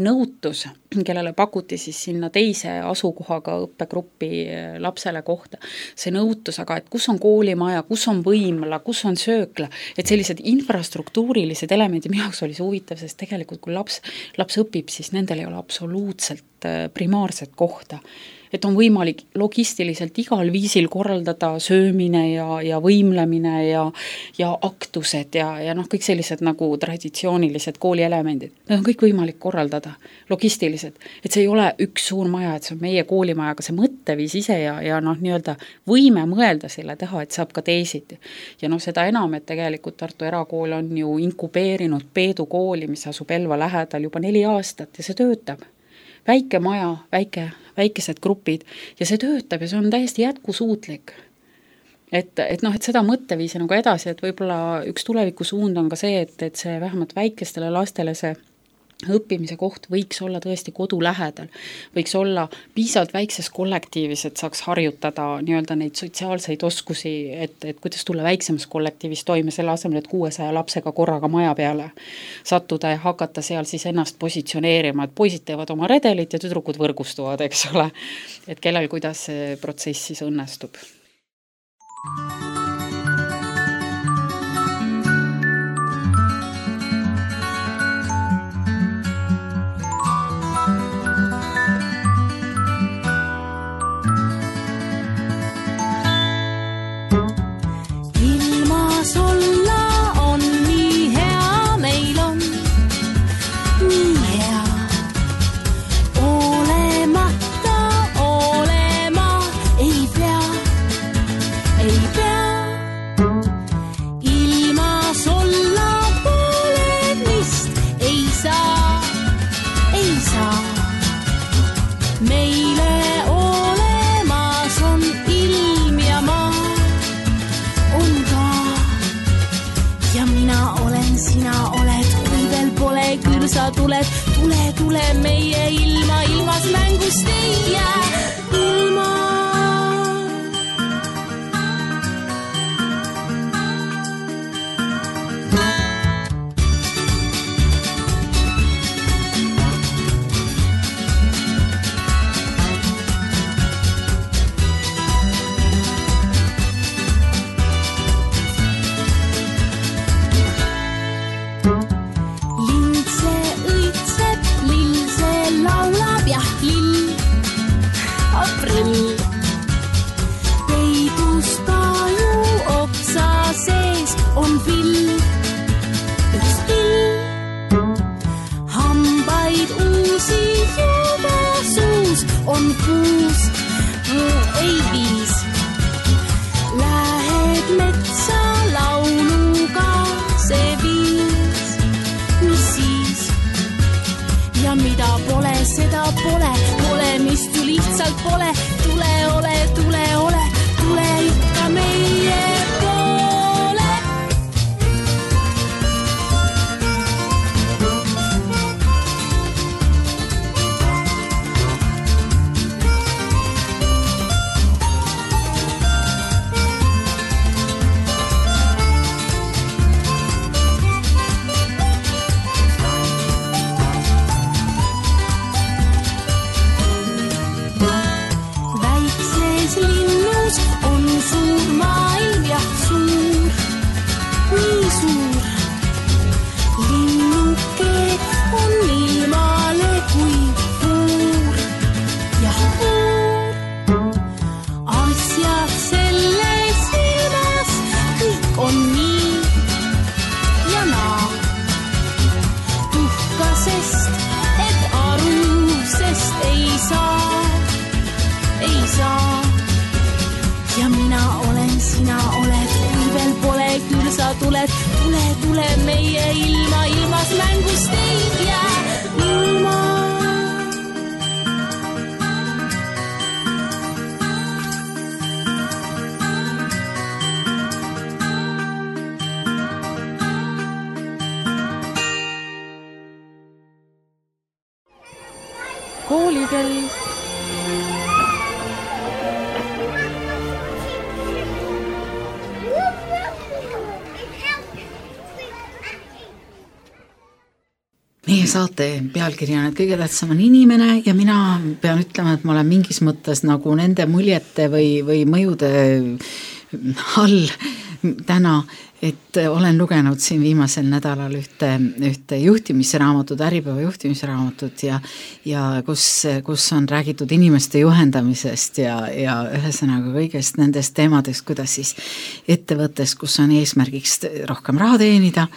nõutus, kellele pakuti siis sinna teise asukohaga õppegruppi lapsele kohta. See nõutus, aga et kus on koolimaja, kus on võimla, kus on söökla, et sellised infrastruktuurilised elemendid, minu jaoks oli see huvitav, sest tegelikult kui laps, laps õpib, siis nendel ei ole absoluutselt primaarset kohta. Et on võimalik logistiliselt igal viisil korraldada söömine ja, ja võimlemine ja, ja aktused ja, ja noh, kõik sellised nagu traditsioonilised koolielemendid. Need on kõik võimalik korraldada logistiliselt, et see ei ole üks suur maja, et see on meie koolimaja, aga see mõtteviis ise ja, ja noh, nii-öelda võime mõelda selle teha, et saab ka teisiti. Ja noh, seda enam, et tegelikult Tartu Erakool on ju inkubeerinud Peedu kooli, mis asub Elva lähedal juba neli aastat ja see töötab. Väike maja, väike, väikesed grupid ja see töötab ja see on täiesti jätkusuutlik. Et, et noh, et seda mõtteviisi nagu edasi, et võib-olla üks tuleviku suund on ka see, et, et see vähemalt väikestele lastele see õppimise koht võiks olla tõesti kodu lähedal, võiks olla piisavalt väikses kollektiivis, et saaks harjutada nii-öelda neid sotsiaalseid oskusi, et, et kuidas tulla väiksemas kollektiivis toime selle asemel, et kuuesaja lapsega korraga maja peale sattuda ja hakata seal siis ennast positsioneerima, et poisid teevad oma redelit ja tüdrukud võrgustuvad, eks ole, et kellel kuidas see protsess siis õnnestub. Sa tuled, tule, tule meie ilma, ilmas mängust ei jää ilma. Lindse prill. Peidus taju oksa sees on pill, üks pill. Hambaid uusi juba suus on kuus, ei viis. Lähed metsa lauluga, see viis, mis siis? Ja mida pole, seda pole, olemist ju lihtsalt pole. Tule ole, tule ole, tule ikka meie poole. Tuled, tule, tule meie ilma, ilmas mängust ei jää ilma. Koolikell. Meie saate pealkiri on, et kõige tähtsam on inimene ja mina pean ütlema, et ma olen mingis mõttes nagu nende muljete või, või mõjude all täna, et olen lugenud siin viimasel nädalal ühte, ühte juhtimisraamatut, Äripäeva juhtimisraamatut ja, ja kus, kus on räägitud inimeste juhendamisest ja, ja ühesõnaga kõigest nendest teemadest, kuidas siis ettevõttes, kus on eesmärgiks rohkem raha teenida,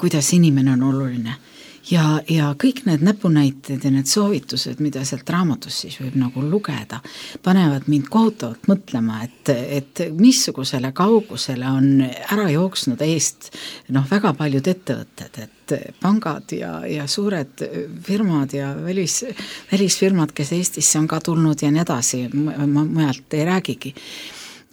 kuidas inimene on oluline. Ja, ja kõik need näpunäited ja need soovitused, mida sealt raamatus siis võib nagu lugeda, panevad mind kohutavalt mõtlema, et, et missugusele kaugusele on ära jooksnud eest noh, väga paljud ettevõtted, et pangad ja, ja suured firmad ja välis, välisfirmad, kes Eestisse on ka tulnud ja nii edasi, ma mujalt ei räägigi.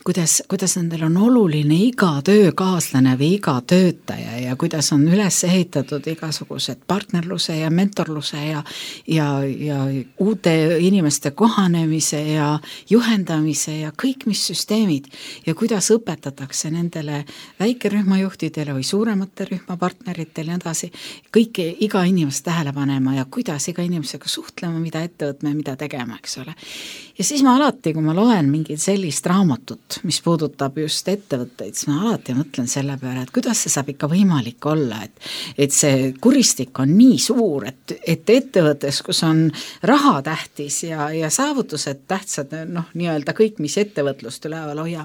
Kuidas, kuidas nendel on oluline iga töökaaslane või iga töötaja ja kuidas on üles ehitatud igasugused partnerluse ja mentorluse ja, ja, ja uute inimeste kohanemise ja juhendamise ja kõik mis süsteemid ja kuidas õpetatakse nendele väikerühmajuhtidele või suuremate rühmapartneritele ja edasi kõike iga inimest tähele panema ja kuidas iga inimesega suhtlema, mida ette võtma ja mida tegema, eks ole. Ja siis ma alati, kui ma loen mingit sellist raamatut, mis puudutab just ettevõtteid, siis ma alati mõtlen selle peale, et kuidas see saab ikka võimalik olla, et, et see kuristik on nii suur, et, et ettevõttes, kus on raha tähtis ja, ja saavutused tähtsad, noh, nii-öelda kõik, mis ettevõtlust üleval hoia,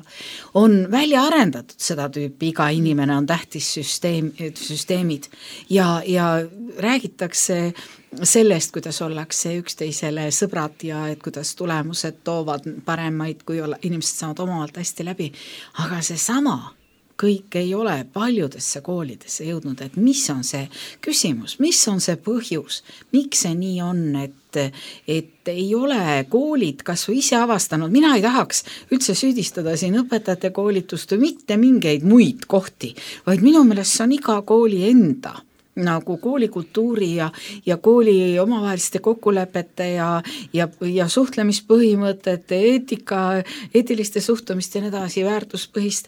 on välja arendatud seda tüüpi, iga inimene on tähtis süsteem, süsteemid ja, ja räägitakse sellest, kuidas ollakse üksteisele sõbrad ja et kuidas tulemused toovad paremaid, kui olla, inimesed saavad omavahelt hästi läbi, aga see sama kõik ei ole paljudesse koolidesse jõudnud, et mis on see küsimus, mis on see põhjus, miks see nii on, et, et ei ole koolid kas või ise avastanud, mina ei tahaks üldse süüdistada siin õpetajate koolitust või mitte mingeid muid kohti, vaid minu meelest see on iga kooli enda nagu koolikultuuri ja, ja kooli omavaheliste kokkulepete ja, ja, ja suhtlemispõhimõtete, eetika, eetiliste suhtumist ja nii edasi, väärtuspõhist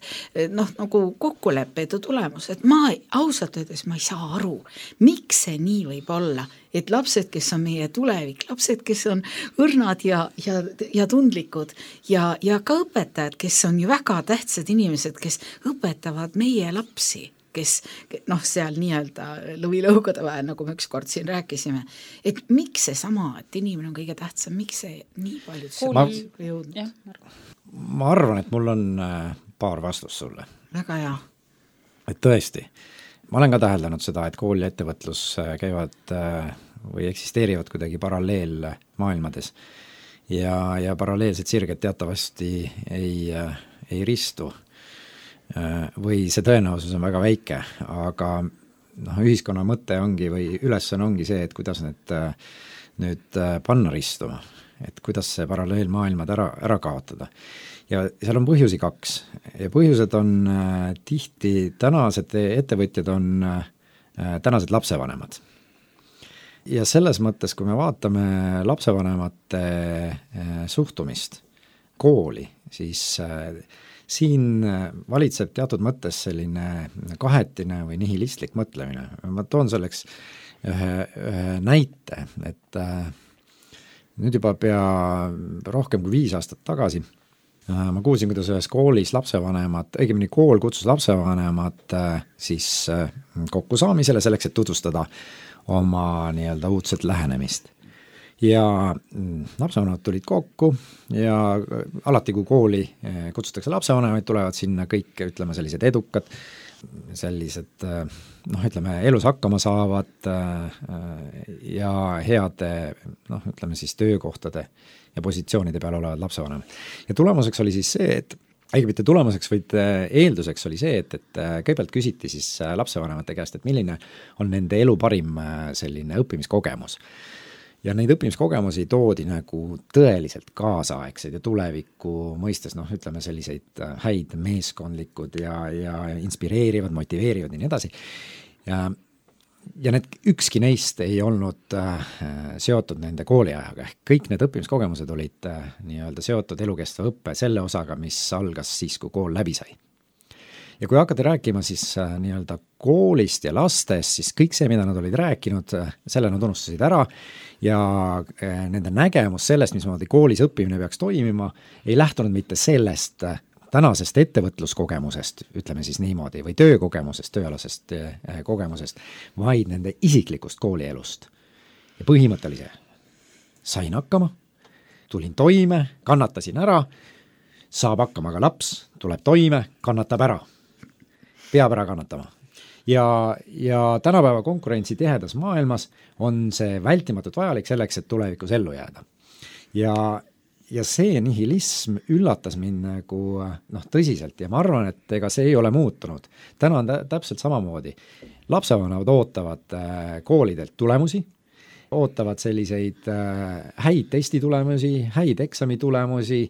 noh, nagu kokkuleppeid ja tulemus, et ma ausalt öeldes ma ei saa aru, miks see nii võib olla, et lapsed, kes on meie tulevik, lapsed, kes on õrnad ja, ja, ja tundlikud ja, ja ka õpetajad, kes on ju väga tähtsad inimesed, kes õpetavad meie lapsi, kes noh, seal nii-öelda lõvilõugade vahel, nagu me ükskord siin rääkisime, et miks see sama, et inimene on kõige tähtsam, miks see nii paljud ma, jõudnud? Ma arvan, et mul on paar vastust sulle. Väga hea. Et tõesti, ma olen ka täheldanud seda, et kool ja ettevõtlus käivad või eksisteerivad kuidagi paralleel maailmades ja, ja paralleelsed sirged teatavasti ei, ei ristu või see tõenäosus on väga väike, aga noh, ühiskonna mõte ongi või ülesanne ongi see, et kuidas need nüüd panna ristuma, et kuidas see paralleelmaailmad ära, ära kaotada. Ja seal on põhjusi kaks ja põhjused on äh, tihti tänased ettevõtjad on äh, tänased lapsevanemad. Ja selles mõttes, kui me vaatame lapsevanemate äh, suhtumist kooli, siis äh, siin valitseb teatud mõttes selline kahetine või nihilistlik mõtlemine. Ma toon selleks ühe, ühe näite, et äh, nüüd juba pea rohkem kui viis aastat tagasi äh, ma kuulsin, kuidas ühes koolis lapsevanemad, õigemini kool kutsus lapsevanemad äh, siis äh, kokkusaamisele selleks, et tutvustada oma nii-öelda uudset lähenemist. Ja lapsevanemad tulid kokku ja alati, kui kooli kutsutakse lapsevanemaid, tulevad sinna kõik, ütleme, sellised edukad, sellised, noh, ütleme, elus hakkama saavad ja heade, noh, ütleme siis töökohtade ja positsioonide peal olevad lapsevanemad. Ja tulemuseks oli siis see, et Äige mitte tulemuseks, vaid eelduseks oli see, et, et kõigepealt küsiti siis lapsevanemate käest, et milline on nende elu parim selline õppimiskogemus. Ja neid õppimiskogemusi toodi nagu tõeliselt kaasaegseid ja tuleviku mõistes, noh, ütleme selliseid häid meeskondlikud ja, ja inspireerivad, motiveerivad ja nii edasi. Ja, ja need ükski neist ei olnud äh, seotud nende kooliajaga, ehk kõik need õppimiskogemused olid äh, nii-öelda seotud elukestva õppe selle osaga, mis algas siis, kui kool läbi sai. Ja kui hakati rääkima siis äh, nii-öelda koolist ja lastest, siis kõik see, mida nad olid rääkinud, äh, selle nad unustasid ära ja äh, nende nägemus sellest, mismoodi koolis õppimine peaks toimima, ei lähtunud mitte sellest äh, tänasest ettevõtluskogemusest, ütleme siis niimoodi, või töökogemusest, tööalasest äh, kogemusest, vaid nende isiklikust koolielust. Ja põhimõte oli see, sain hakkama, tulin toime, kannatasin ära, saab hakkama ka laps, tuleb toime, kannatab ära. Peab ära kannatama. Ja, ja tänapäeva konkurentsi tihedas maailmas on see vältimatult vajalik selleks, et tulevikus ellu jääda. Ja, ja see nihilism üllatas mind nagu noh, tõsiselt ja ma arvan, et ega see ei ole muutunud. Täna on täpselt samamoodi. Lapsevanemad ootavad koolidelt tulemusi, ootavad selliseid häid testitulemusi, häid eksamitulemusi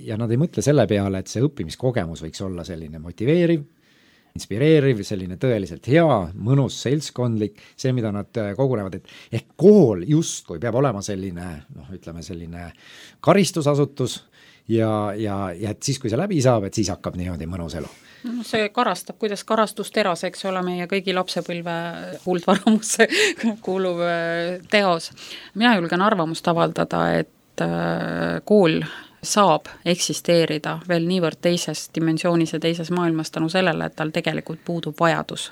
ja nad ei mõtle selle peale, et see õppimiskogemus võiks olla selline motiveeriv, inspireeriv, selline tõeliselt hea, mõnus, seltskondlik, see, mida nad kogunevad, et ehk kool justkui peab olema selline, noh, ütleme selline karistusasutus ja, ja, ja et siis, kui see läbi saab, et siis hakkab niimoodi mõnus elu. No, see karastab, kuidas karastus teras, eks ole, meie kõigi lapsepõlve kuldvaramusse kuuluv teos. Mina julgen arvamust avaldada, et kool saab eksisteerida veel niivõrd teises dimensioonis ja teises maailmas tänu sellele, et tal tegelikult puudub vajadus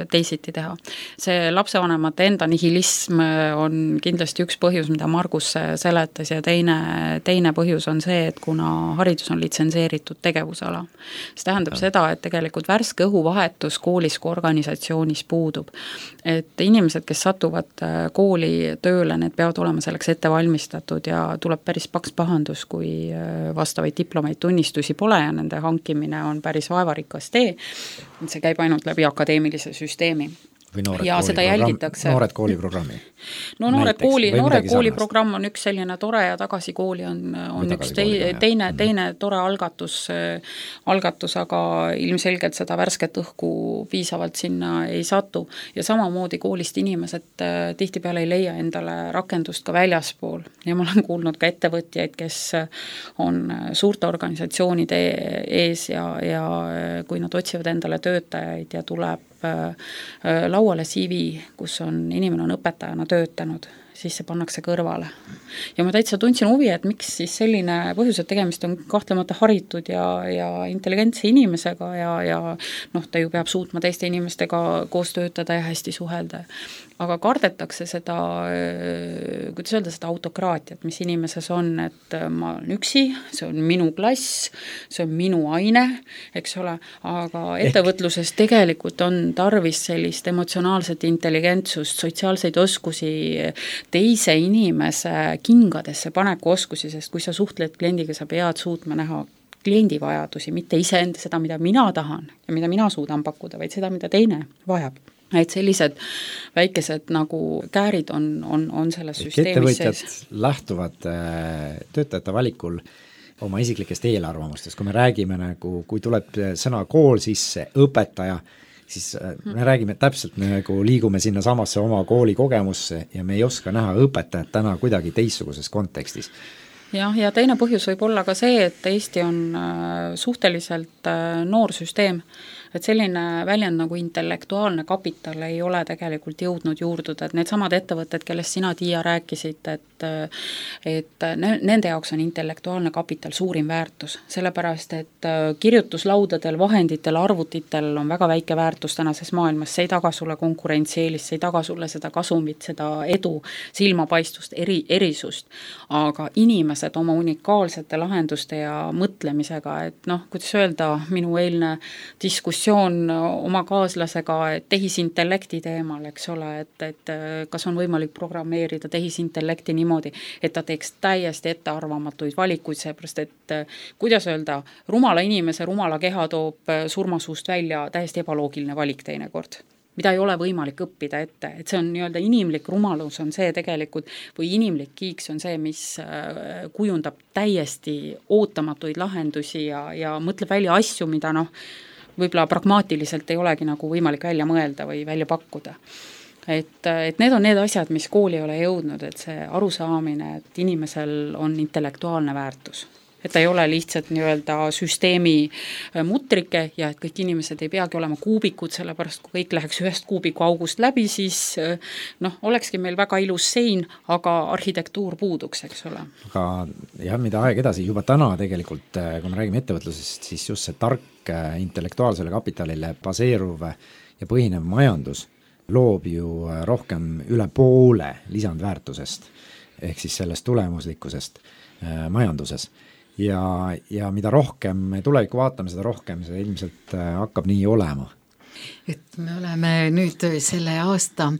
teisiti teha. See lapsevanemate enda nihilism on kindlasti üks põhjus, mida Margus seletas ja teine, teine põhjus on see, et kuna haridus on litsenseeritud tegevusala. See tähendab ja. seda, et tegelikult värske õhuvahetus koolis kui organisatsioonis puudub. Et inimesed, kes satuvad kooli tööle, need peavad olema selleks ette valmistatud ja tuleb päris paks pahandus, kui vastavaid diplomaid tunnistusi pole ja nende hankimine on päris vaevarikas tee. See käib ainult läbi akadeemilise süsteemi. Või noored, ja kooli seda jälgitakse. noored kooliprogrammi. No noored kooli, noore kooliprogramm on üks selline tore ja tagasi kooli on, on üks teine, teine, teine tore algatus, algatus, aga ilmselgelt seda värsket õhku piisavalt sinna ei satu. Ja samamoodi koolist inimesed tihtipeale ei leia endale rakendust ka väljaspool. Ja ma olen kuulnud ka ettevõtjaid, kes on suurte organisatsioonide ees ja, ja kui nad otsivad endale töötajaid ja tuleb lauale C V, kus on inimene on õpetajana töötanud, siis see pannakse kõrvale. Ja ma täitsa tundsin huvi, et miks siis selline põhjus, et tegemist on kahtlemata haritud ja, ja intelligentse inimesega ja, ja noh, ta ju peab suutma teiste inimestega koos töötada ja hästi suhelda. Aga kardetakse seda, kuidas öelda, seda autokraatiat, mis inimeses on, et ma olen üksi, see on minu klass, see on minu aine, eks ole, aga ettevõtluses tegelikult on tarvis sellist emotsionaalset intelligentsust, sotsiaalseid oskusi, teise inimese kingadesse paneku oskusi, sest kui sa suhtled kliendiga, sa pead suutma näha kliendi vajadusi, mitte iseenda seda, mida mina tahan ja mida mina suudan pakkuda, vaid seda, mida teine vajab. Et sellised väikesed nagu käärid on, on, on selles süsteemis sees. Ettevõtjad lähtuvad töötajate valikul oma isiklikest eelarvamustest, kui me räägime nagu, kui tuleb sõna kool sisse, õpetaja, siis me räägime täpselt, me nagu liigume sinna samasse oma kooli kogemusse ja me ei oska näha õpetajat täna kuidagi teistsuguses kontekstis. jah, ja teine põhjus võib olla ka see, et Eesti on suhteliselt noor süsteem, et selline väljend nagu intellektuaalne kapital ei ole tegelikult jõudnud juurduda, et need samad ettevõtted, kellest sina, Tiia, rääkisid, et, et nende jaoks on intellektuaalne kapital suurim väärtus, sellepärast et kirjutuslaudadel, vahenditel, arvutitel on väga väike väärtus tänases maailmas, see ei taga sulle konkurentsieelist, see ei taga sulle seda kasumit, seda edu, silmapaistust, eri, erisust, aga inimesed oma unikaalsete lahenduste ja mõtlemisega, et noh, kuidas öelda, minu eilne diskussioon oma kaaslasega tehisintellekti teemal, eks ole, et, et kas on võimalik programmeerida tehisintellekti niimoodi, et ta teeks täiesti ettearvamatuid valikuid, seepärast et kuidas öelda, rumala inimese rumala keha toob surmasuust välja täiesti ebaloogiline valik teinekord, mida ei ole võimalik õppida ette, et see on nii-öelda inimlik rumalus on see tegelikult, või inimlik kiiks on see, mis kujundab täiesti ootamatuid lahendusi ja, ja mõtleb välja asju, mida noh, võib-olla pragmaatiliselt ei olegi nagu võimalik välja mõelda või välja pakkuda. Et, et need on need asjad, mis kooli ei ole jõudnud, et see arusaamine, et inimesel on intellektuaalne väärtus. Et ta ei ole lihtsalt nii-öelda süsteemi mutrike ja et kõik inimesed ei peagi olema kuubikud, sellepärast kui kõik läheks ühest kuubiku august läbi, siis noh, olekski meil väga ilus sein, aga arhitektuur puuduks, eks ole. Aga jah, mida aeg edasi, juba täna tegelikult, kui me räägime ettevõtlusest, siis just see tark intellektuaalsele kapitalile baseeruv ja põhinev majandus loob ju rohkem üle poole lisandväärtusest ehk siis sellest tulemuslikkusest majanduses. Ja, ja mida rohkem me tulevikku vaatame, seda rohkem see ilmselt hakkab nii olema. Et me oleme nüüd selle aasta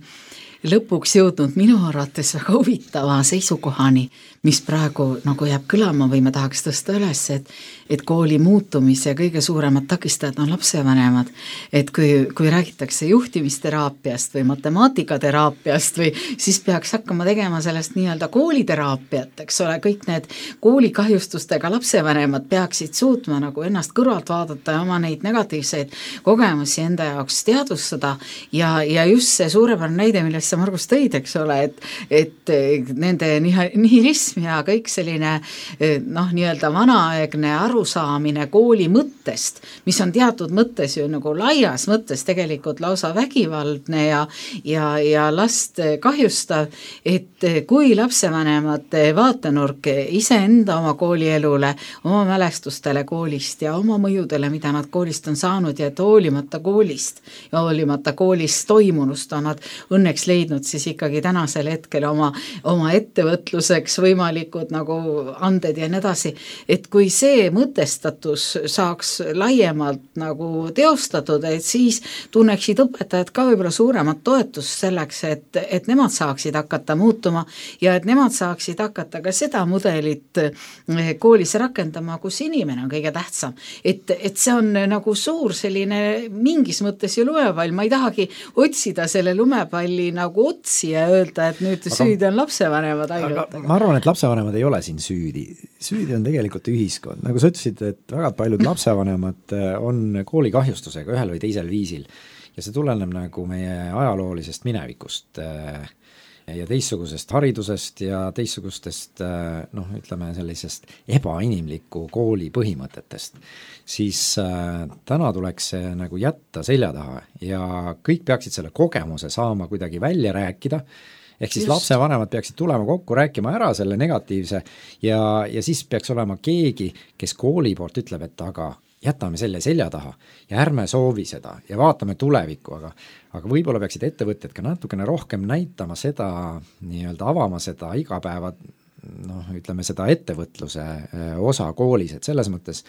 lõpuks jõudnud minu arvates väga huvitava seisukohani, mis praegu nagu jääb kõlama või me tahaks tõsta üles, et, et kooli muutumise kõige suuremad takistajad on lapsevanemad. Et kui, kui räägitakse juhtimisteraapiast või matemaatikaterapiast või siis peaks hakkama tegema sellest nii-öelda kooliteraapiat, eks ole, kõik need koolikahjustustega lapsevanemad peaksid suutma nagu ennast kõrvalt vaadata ja oma neid negatiivseid kogemusi enda jaoks teadvustada ja, ja just see suurepärane näide, millest sa Margus tõid, eks ole, et, et nende nihilism ja kõik selline noh, nii-öelda vanaaegne arusaamine kooli mõttest, mis on teatud mõttes ju nagu laias mõttes tegelikult lausa vägivaldne ja, ja, ja last kahjustav, et kui lapsevanemate vaatenurk iseenda oma koolielule, oma mälestustele koolist ja oma mõjudele, mida nad koolist on saanud ja et hoolimata koolist ja hoolimata koolist toimunust on nad õnneks leidnud siis ikkagi tänasel hetkel oma, oma ettevõtluseks võimalikud nagu anded ja nii edasi, et kui see mõtestatus saaks laiemalt nagu teostatud, et siis tunneksid õpetajad ka võib-olla suuremat toetust selleks, et, et nemad saaksid hakata muutuma ja et nemad saaksid hakata ka seda mudelit koolis rakendama, kus inimene on kõige tähtsam. Et, et see on nagu suur selline mingis mõttes ju lumepall, ma ei tahagi otsida selle lumepalli nagu otsi ja öelda, et nüüd aga, süüdi on lapsevanemad ainult. Ma arvan, et lapsevanemad ei ole siin süüdi. Süüdi on tegelikult ühiskond. Nagu sa ütlesid, et väga paljud lapsevanemad on koolikahjustusega ühel või teisel viisil ja see tuleneb nagu meie ajaloolisest minevikust ja teistsugusest haridusest ja teistsugustest noh, ütleme sellisest ebainimliku kooli põhimõtetest, siis täna tuleks see nagu jätta selja taha ja kõik peaksid selle kogemuse saama kuidagi välja rääkida ehk siis Just. lapsevanemad peaksid tulema kokku, rääkima ära selle negatiivse ja, ja siis peaks olema keegi, kes kooli poolt ütleb, et aga jätame selle selja taha ja ärme soovi seda ja vaatame tulevikku, aga, aga võib-olla peaksid ettevõtted ka natukene rohkem näitama seda, nii-öelda avama seda igapäeva, noh, ütleme seda ettevõtluse osa koolis, et selles mõttes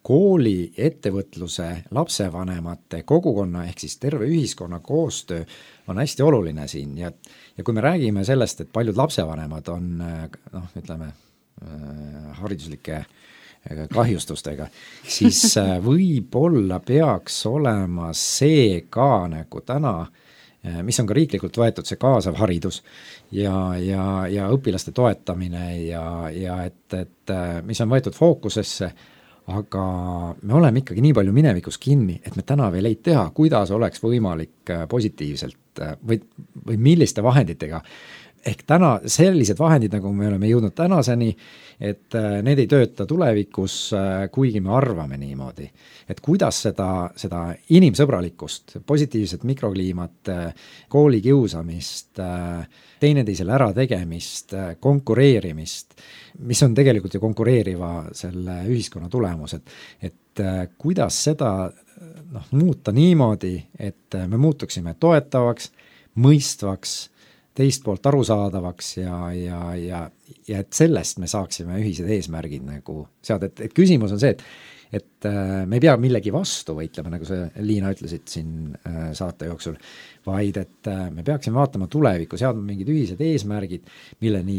kooli, ettevõtluse, lapsevanemate, kogukonna ehk siis terve ühiskonna koostöö on hästi oluline siin ja, ja kui me räägime sellest, et paljud lapsevanemad on noh, ütleme hariduslike kahjustustega, siis võib-olla peaks olema see ka nagu täna, mis on ka riiklikult võetud, see kaasav haridus ja, ja, ja õpilaste toetamine ja, ja et, et mis on võetud fookusesse, aga me oleme ikkagi nii palju minevikus kinni, et me täna veel ei tea, kuidas oleks võimalik positiivselt või, või milliste vahenditega. Ehk täna sellised vahendid, nagu me oleme jõudnud tänaseni, et need ei tööta tulevikus, kuigi me arvame niimoodi. Et kuidas seda, seda inimsõbralikkust, positiivset mikrokliimat, kooli kiusamist, teineteisele ära tegemist, konkureerimist, mis on tegelikult ju konkureeriva selle ühiskonna tulemus, et, et kuidas seda noh, muuta niimoodi, et me muutuksime toetavaks, mõistvaks, teist poolt arusaadavaks ja, ja, ja, ja et sellest me saaksime ühised eesmärgid nagu seada, et, et küsimus on see, et et me ei pea millegi vastu võitlema, nagu sa, Liina, ütlesid siin saate jooksul, vaid et me peaksime vaatama tulevikku, seadma mingid ühised eesmärgid, milleni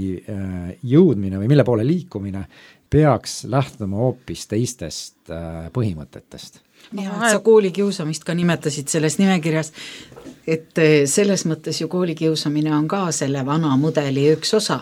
jõudmine või mille poole liikumine peaks lähtuma hoopis teistest põhimõtetest. Ja, et sa koolikiusamist ka nimetasid selles nimekirjas, et selles mõttes ju koolikiusamine on ka selle vana mudeli üks osa,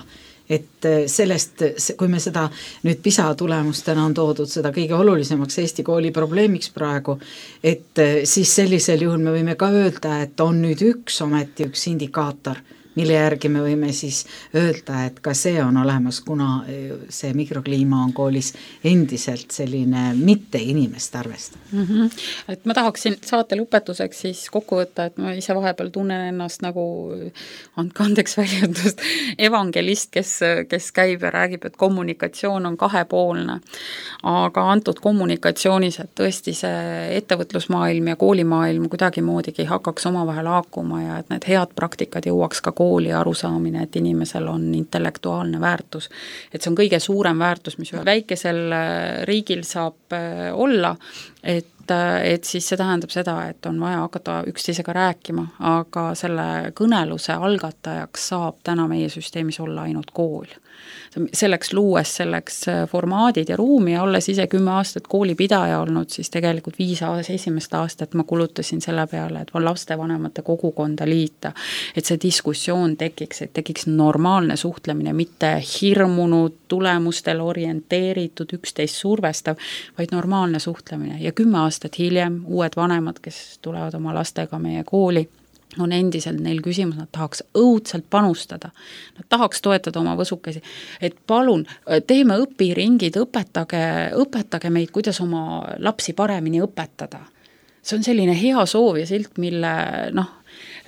et sellest, kui me seda nüüd PISA tulemustena on toodud seda kõige olulisemaks Eesti kooli probleemiks praegu, et siis sellisel juhul me võime ka öelda, et on nüüd üks ometi üks indikaator, mille järgi me võime siis öelda, et ka see on olemas, kuna see mikrokliima on koolis endiselt selline mitte inimest arvestav. Mm-hmm. Et ma tahaksin saate lõpetuseks siis kokku võtta, et ma ise vahepeal tunnen ennast nagu, andke andeks väljendust, evangelist, kes, kes käib ja räägib, et kommunikatsioon on kahepoolne. Aga antud kommunikatsioonis, et tõesti see ettevõtlusmaailm ja koolimaailm kuidagi moodigi hakkaks omavahel haakuma ja et need head praktikad jõuaks ka kooli arusaamine, et inimesel on intellektuaalne väärtus. Et see on kõige suurem väärtus, mis väikesel riigil saab olla, et, et siis see tähendab seda, et on vaja hakata üksteisega rääkima, aga selle kõneluse algatajaks saab täna meie süsteemis olla ainult kool. Selleks luues selleks formaadid ja ruumi ja olles ise kümme aastat koolipidaja olnud, siis tegelikult viis aastat, esimest aastat ma kulutasin selle peale, et lastevanemate kogukonda liita, et see diskussioon tekiks, et tekiks normaalne suhtlemine, mitte hirmunud, tulemustel orienteeritud, üksteist survestav, vaid normaalne suhtlemine ja kümme aastat hiljem uued vanemad, kes tulevad oma lastega meie kooli, on endiselt neil küsimus, nad tahaks õudselt panustada, nad tahaks toetada oma võsukesi, et palun, teeme õpiringid, õpetage, õpetage meid, kuidas oma lapsi paremini õpetada. See on selline hea soov ja silt, mille noh,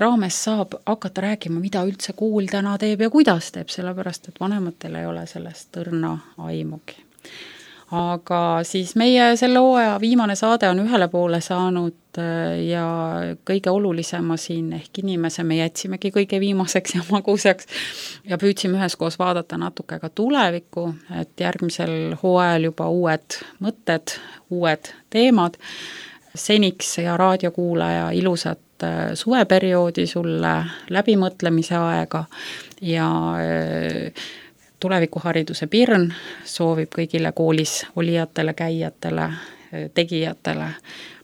raames saab hakata rääkima, mida üldse kool täna teeb ja kuidas teeb, sellepärast, et vanematel ei ole sellest õrna aimugi. Aga siis meie selle hooaja viimane saade on ühele poole saanud ja kõige olulisema siin ehk inimese me jätsimegi kõige viimaseks ja maguseks ja püüdsime üheskoos vaadata natuke ka tulevikku, et järgmisel hooajal juba uued mõtted, uued teemad. Seniks ja raadiokuulaja ilusat suveperioodi sulle läbimõtlemise aega ja Tulevikuhariduse Pirn soovib kõigile koolis olijatele, käijatele, tegijatele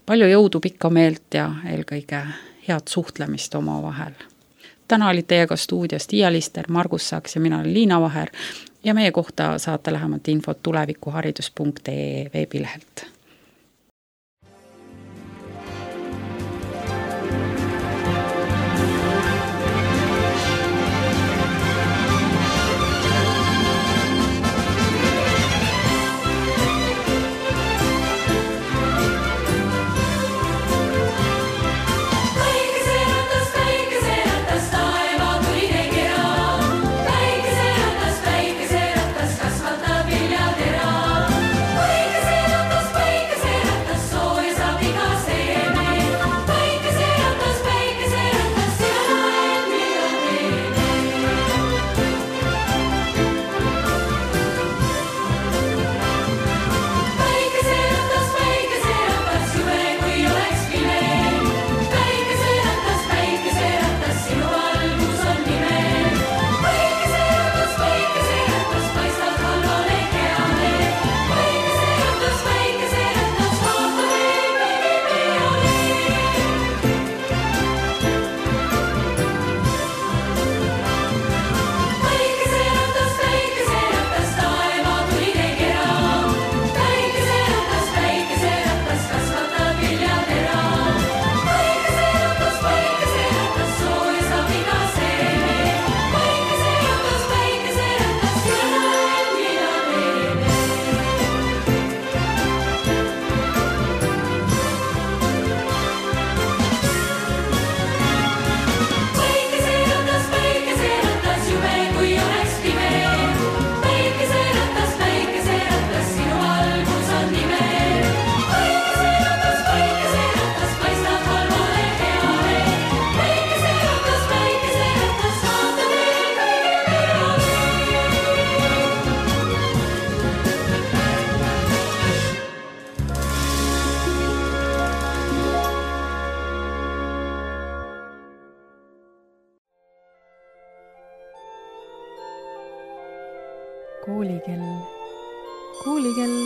palju jõudu, pikka meelt ja eelkõige head suhtlemist oma vahel. Täna olid teiega stuudios Tiia Lister, Margus Saks ja mina olen Liina Vaher ja meie kohta saate lähemalt infot tulevikuharidus punkt ee veebilehelt. Päike seatas, päike seatas, taeva tuli kera. koolikell, koolikell,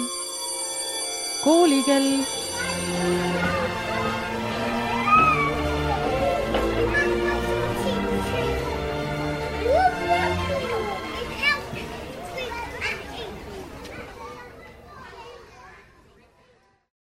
koolikell.